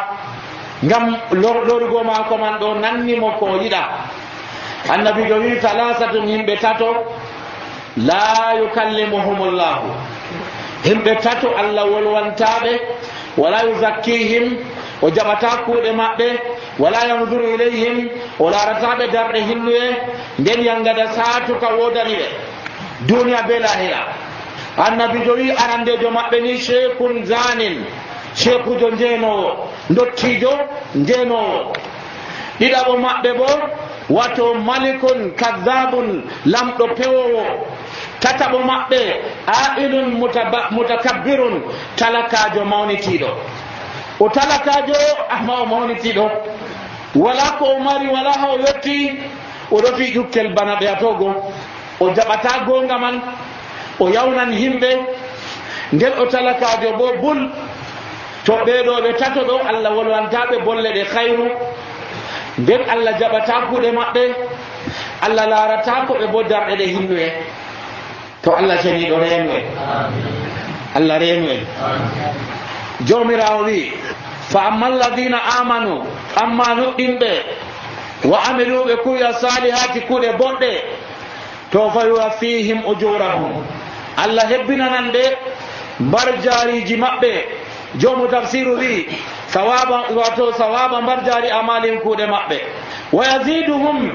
ngam lorugo maako man ɗo nannimo ko o yiɗa. annabijo wi salasatun himɓe tato la yukallimuhumullahu, himɓe tato Allah wolwantaɓe, wala yuzakkihim, o jaɓata kuuɗe maɓɓe, wala yanzuru ilayhim, o larataɓe darɗe hinnuye, nden yangada satuka wodani ɓe duniya be lahira. annabijo wi arandejo maɓɓe ni sheikhun zanin, sheikujo njeenowo, dottijo njeenowo. ɗiɗaɓo maɓɓe bo wato malikun kadhabun, lamɗo pewowo. tataɓo maɓɓe ailun mutakabbirun, talakajo mawnitiɗo. o talakajo amma o mawnitiɗo, wala ko o mari, wala ha o yetti, oɗo fi ƴukkel bana ɓe atogo, o jaɓata gonga man, o yawnan himɓe, nden o talakajo bo bul. to ɓeɗo ɓe tato ɗo Allah wolwantaɓe bolle ɗe khayru, nden Allah jaɓata kuuɗe maɓɓe, Allah larata ko ɓe bo darɗe ɗe hinnuye. to Allah ceniɗo reenu en, Allah reenu en. jomirawo wi fa amma alladina amanu, amma nuɗɗinɓe, wa amiluɓe kuuya salihati, kuuɗe boɗɗe, to fa yuwaffihim ujurahum, Allah hebbinanan ɓe mbar jariji maɓɓe. jomu tafsiru wi sawaba mbar jari amalin kuuɗe maɓɓe, wa yaziduhum,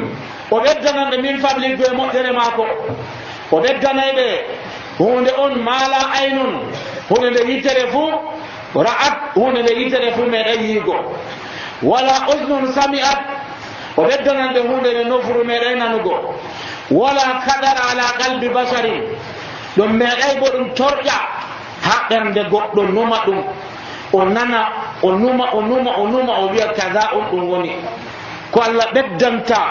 o ɓeddananɓe min fabligo e moƴƴere maako, o ɓeddanayɓe hunde on mala aynun, hunde nde yitere fuu ra'at, hunde nde yitere fuu meɗen yiigo, wala usnun sami'at, o ɓeddananɓe hunde nde nofuru meɗen nanugo, wala kadara ala qalbi basarin, ɗum meɗay bo ɗum torƴa ha ɓernde goɗɗo numa ɗum, o nana, o numa o wiya kaza on ɗum woni ko Allah ɓeddanta.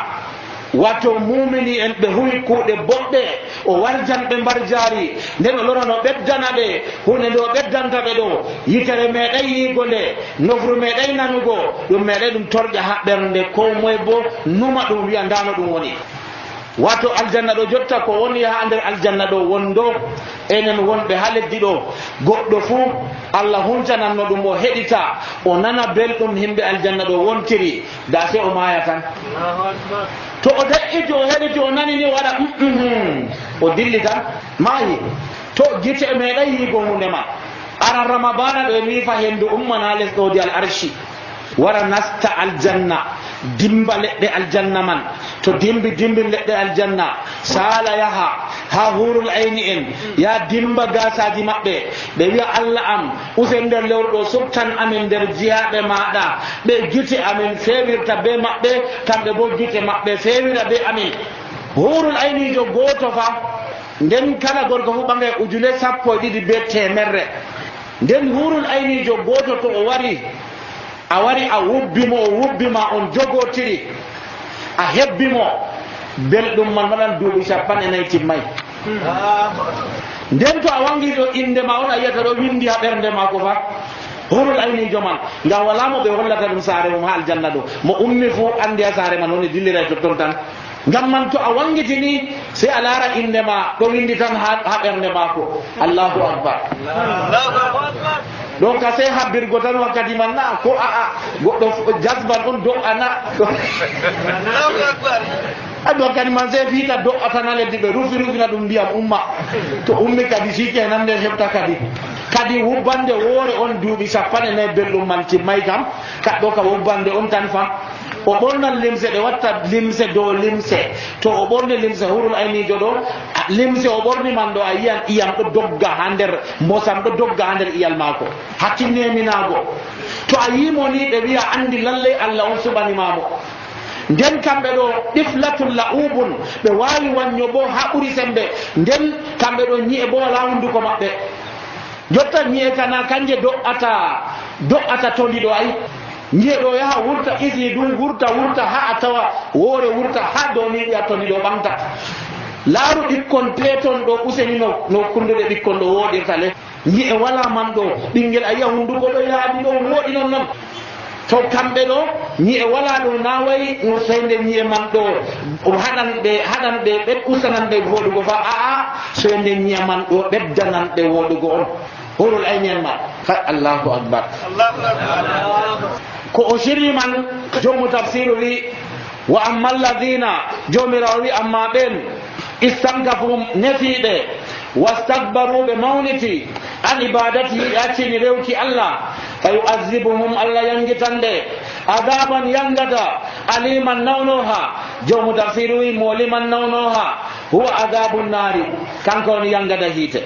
wato mumini en ɓe huwi kuuɗe boɗɗe, o warjanɓe mbar jaari, nden o lorano ɓeddana ɓe hunde nde o ɓeddanta ɓe ɗo, yitere meɗay yiigo nde, nofru meɗay nanugo, ɗum meɗay ɗum torƴa ha ɓernde, ko moye bo numa ɗum wiya ndano ɗum woni. wato aljanna ɗo jotta ko woni ha nder aljanna ɗo wondo, enen wonɓe ha leddi ɗo, goɗɗo fuu Allah huncananno ɗum o heɗita, o nana belɗum himɓe aljanna ɗo wontiri, da se o maya tan. to o de'iti o heɗiti o nani ni waɗa o dilli tan maayi. to gite meɗay yiigo hunde ma. aran ramadana ɗo e mifa hendu ummana lesɗodi al arshi, wara nasta aljanna, dimba leɗɗe aljanna man, to dimbi leɗɗe aljanna, sala yaha ha hurul ayni en, ya dimba gasaji maɓɓe, ɓe wiya Allah am usen nder lewru ɗo subtan amin nder jiyaɓe maɗa, ɓe gite amin fewirta be maɓɓe, kamɓe bo gite maɓɓe fewira be amin. hurul aynijo goto fa, nden kala gorko fu ɓangay ujune 12 be temerre, nden hurul aynijo goto to o wari, a wari a wubbimo, o wubbima, on jogotiri, a hebbimo, belɗum man waɗan duuɓi 40 timmay. nden to a wangi ɗo inde ma on a yiyata ɗo windi ha ɓernde ma ko fa hurul aynijo man, ngam wala mo ɓe hollata ɗum saare mum ha aljanna ɗo, mo ummi fu andi ha saare man woni dillira totton tan. ngam man to a wangitini sey a laara inde ma ɗo windi tan ha ɓernde mako. Allahu akbar. donc a sey habbirgo tan wakkati man na ko goɗɗo jasban on do'ana adi wakkati man sey fiita do'atana leddi ɓe rufina ɗum ndiyam umma, to ummi kadi sike nan nde heɓta kadi wubbande woore on duuɓi 40 belɗum man timmay kam, kaɗɗo ka wubbande on tan fam. o ɓornan limse, ɗe watta limse dow limse, to o ɓorni limse hurul aynijo ɗo, limse o ɓorni man ɗo a yiyan iyam ɗo dogga ha nder mbosam, ɗo dogga ha nder iyal maako, hakkineminago. to a yimo ni ɓe wiya andi lallay Allah on suɓanimamo. nden kamɓe ɗo ɗiflatul la'ubun, ɓe wawi wanyo bo ha ɓuri sembe, nden kamɓe ɗo ñi'e bo wala hunduko maɓɓe, jotta ñi'e kana kanje do'ata toli ɗo ay, ñi'e ɗo yaha wurta isi ɗum wurta ha a tawa woore wurta ha dow ni ɗiya toli ɗo ɓamta. laaru ɓikkon peton ɗo useni no kunduɗe ɓikkon ɗo woɗirta le, ñi'e wala man ɗo, ɓinguel a yiya hunduko ɗo yaaɓi ɗo woɗi non. to kamɓe ɗo ñi'e wala ɗum nawayi no seyde ñi'e man ɗo haɗan ɓe usanan ɓe woɗugo fa aa soyde ñi'e man ɗo ɓeddanan ɓe woɗugo on horol aynen ma allahu akbar ko o sirri man jomu tafsiru wi wa amma alladina jomirawo wi amma ɓen istankafu nefiɓe wastakbaru ɓe mawniti an ibadatihi accini rewki allah fa yu'azzibuhum allah yangitande adaban yangata aliman nawnoha jomu tafsiru wi mo liman nawnoha huwa adabu nari kanko on yangata hiite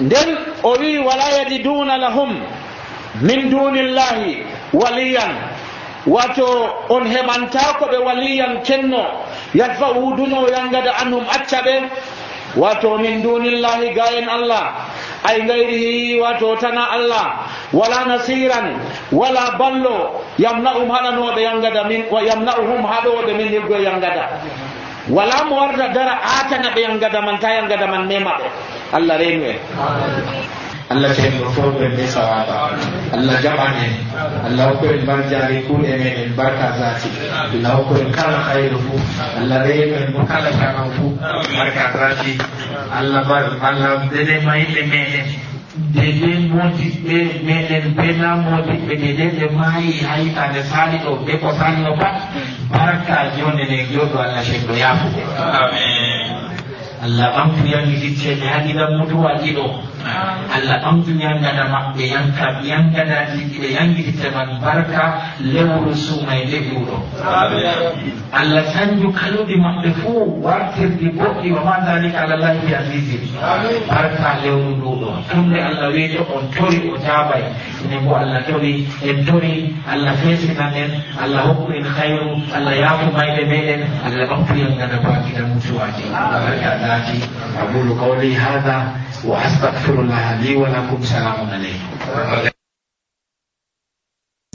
nden o wi wala yajiduna lahum min dunillahi waliyan wato on heɓanta ko ɓe waliyan kenno yadfa wuduno yangada anhum acca ɓe wato min dunillahi gayen allah ay gayrihi wato tana allah wala nasiran wala ballo yamna'um haɗanoɓe yangada min wa yamna'uhum haɗoɓe min hirgo yangada wala mo warta dara atana ɓe yangada man ta yangada man memaɓe allah renu en Allah ceerno fof ɓe be sawaba Allah jaɓan en Allah hokku en barjari kuuɗe meɗen barka zati Allah hokku en kala hayru fu Allah reenu en mo kala jama fu barka zati Allah dede mayimɓe meɗen dede modiɓɓe meɗen bena modiɓɓe dede ɓe maayi ha hitande sali ɗo ɓe ko salno pat barka jonde ne joɗo Allah ceerno yafude Allah ɓamtu yangititteɓe haɗiɗan mutuwaji ɗo Allah ɓamtu yangada maɓɓe yangadaji ɓe yangititte man barka lewru sumay nde ɓuuɗo Allah sanju kaluɗi maɓɓe fuu wartirdi boɗɗi wa ma dalika alallahi bi azizin barka lewru nduɗo tumde Allah weeto on tori o jaabay ene bo Allah tori en tori Allah feesinan en Allah hokku en hayru Allah yaafu mayde meɗen Allah ɓamtu yangada bakiɗan mutuwaji barka أقول قولي هذا وأستغفر الله لي ولكم سلام عليكم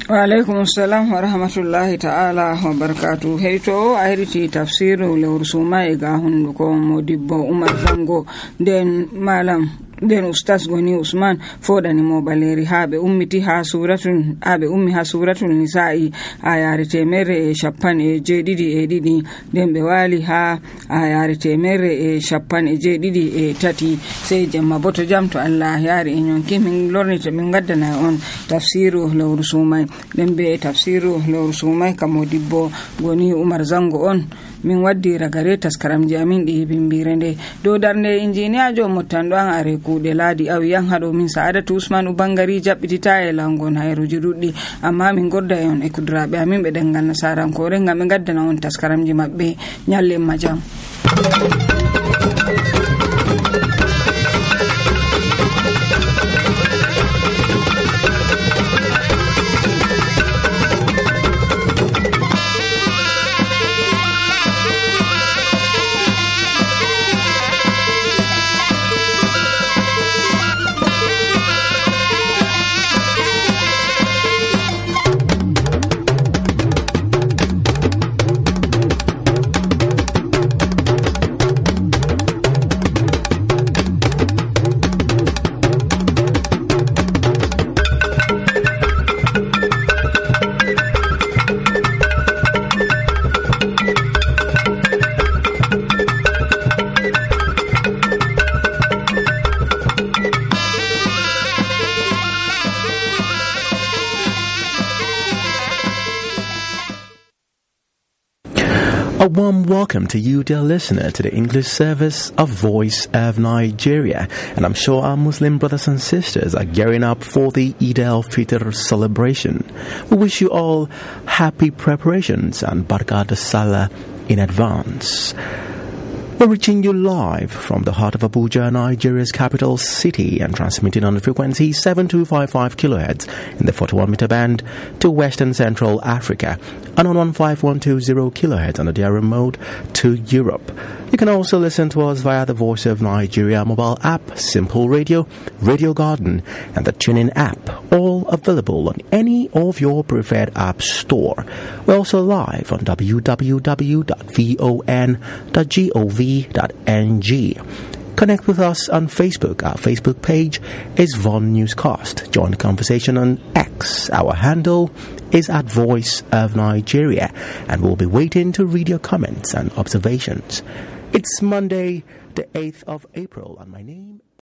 وعليكم السلام ورحمة الله تعالى وبركاته هيتو أهرتي تفسير لورسوما إيغا هندوكو موديبو عمر زنغو دين مالام den ustaz goni usman fodani mo baleri habe ummiti ha suratul nisa'i ayare temere e shappan e jeedidi e didi den be wali ha ayare temere e shappan e jeedidi e tati sai jamma boto jam to Allah yari en yonki min lornita min gaddana on tafsiru lawru sumai den be tafsiru lawru sumai kamodibbo goni umar zango on min waddi ragare taskaramji amin ɗi bimbirende dow darnde injiniya jo mottando an are kuuɗe laadi awiyan haɗo min sa'adatu usman ubangari jaɓɓitita e langon hayruji ɗuɗɗi amma min gorda e on e kudraɓe amin ɓe ɗengal nasarankore ngam ɓe gaddana on taskaramji maɓɓe ñallen majam. A warm welcome to you, dear listener, to the English service of Voice of Nigeria. And I'm sure our Muslim brothers and sisters are gearing up for the Eid al-Fitr celebration. We wish you all happy preparations and Barakat as-Salah in advance. We're reaching you live from the heart of Abuja, Nigeria's capital city, and transmitting on the frequency 7255 kHz in the 41-meter band to Western Central Africa and on 15120 kHz on the DR remote to Europe. You can also listen to us via the Voice of Nigeria mobile app, Simple Radio, Radio Garden, and the TuneIn app, all available on any of your preferred app store. We're also live on www.von.gov.ng. Connect with us on Facebook. Our Facebook page is Von Newscast. Join the conversation on X X. Our handle is at Voice of Nigeria, and we'll be waiting to read your comments and observations. It's Monday, the 8th of April, and my name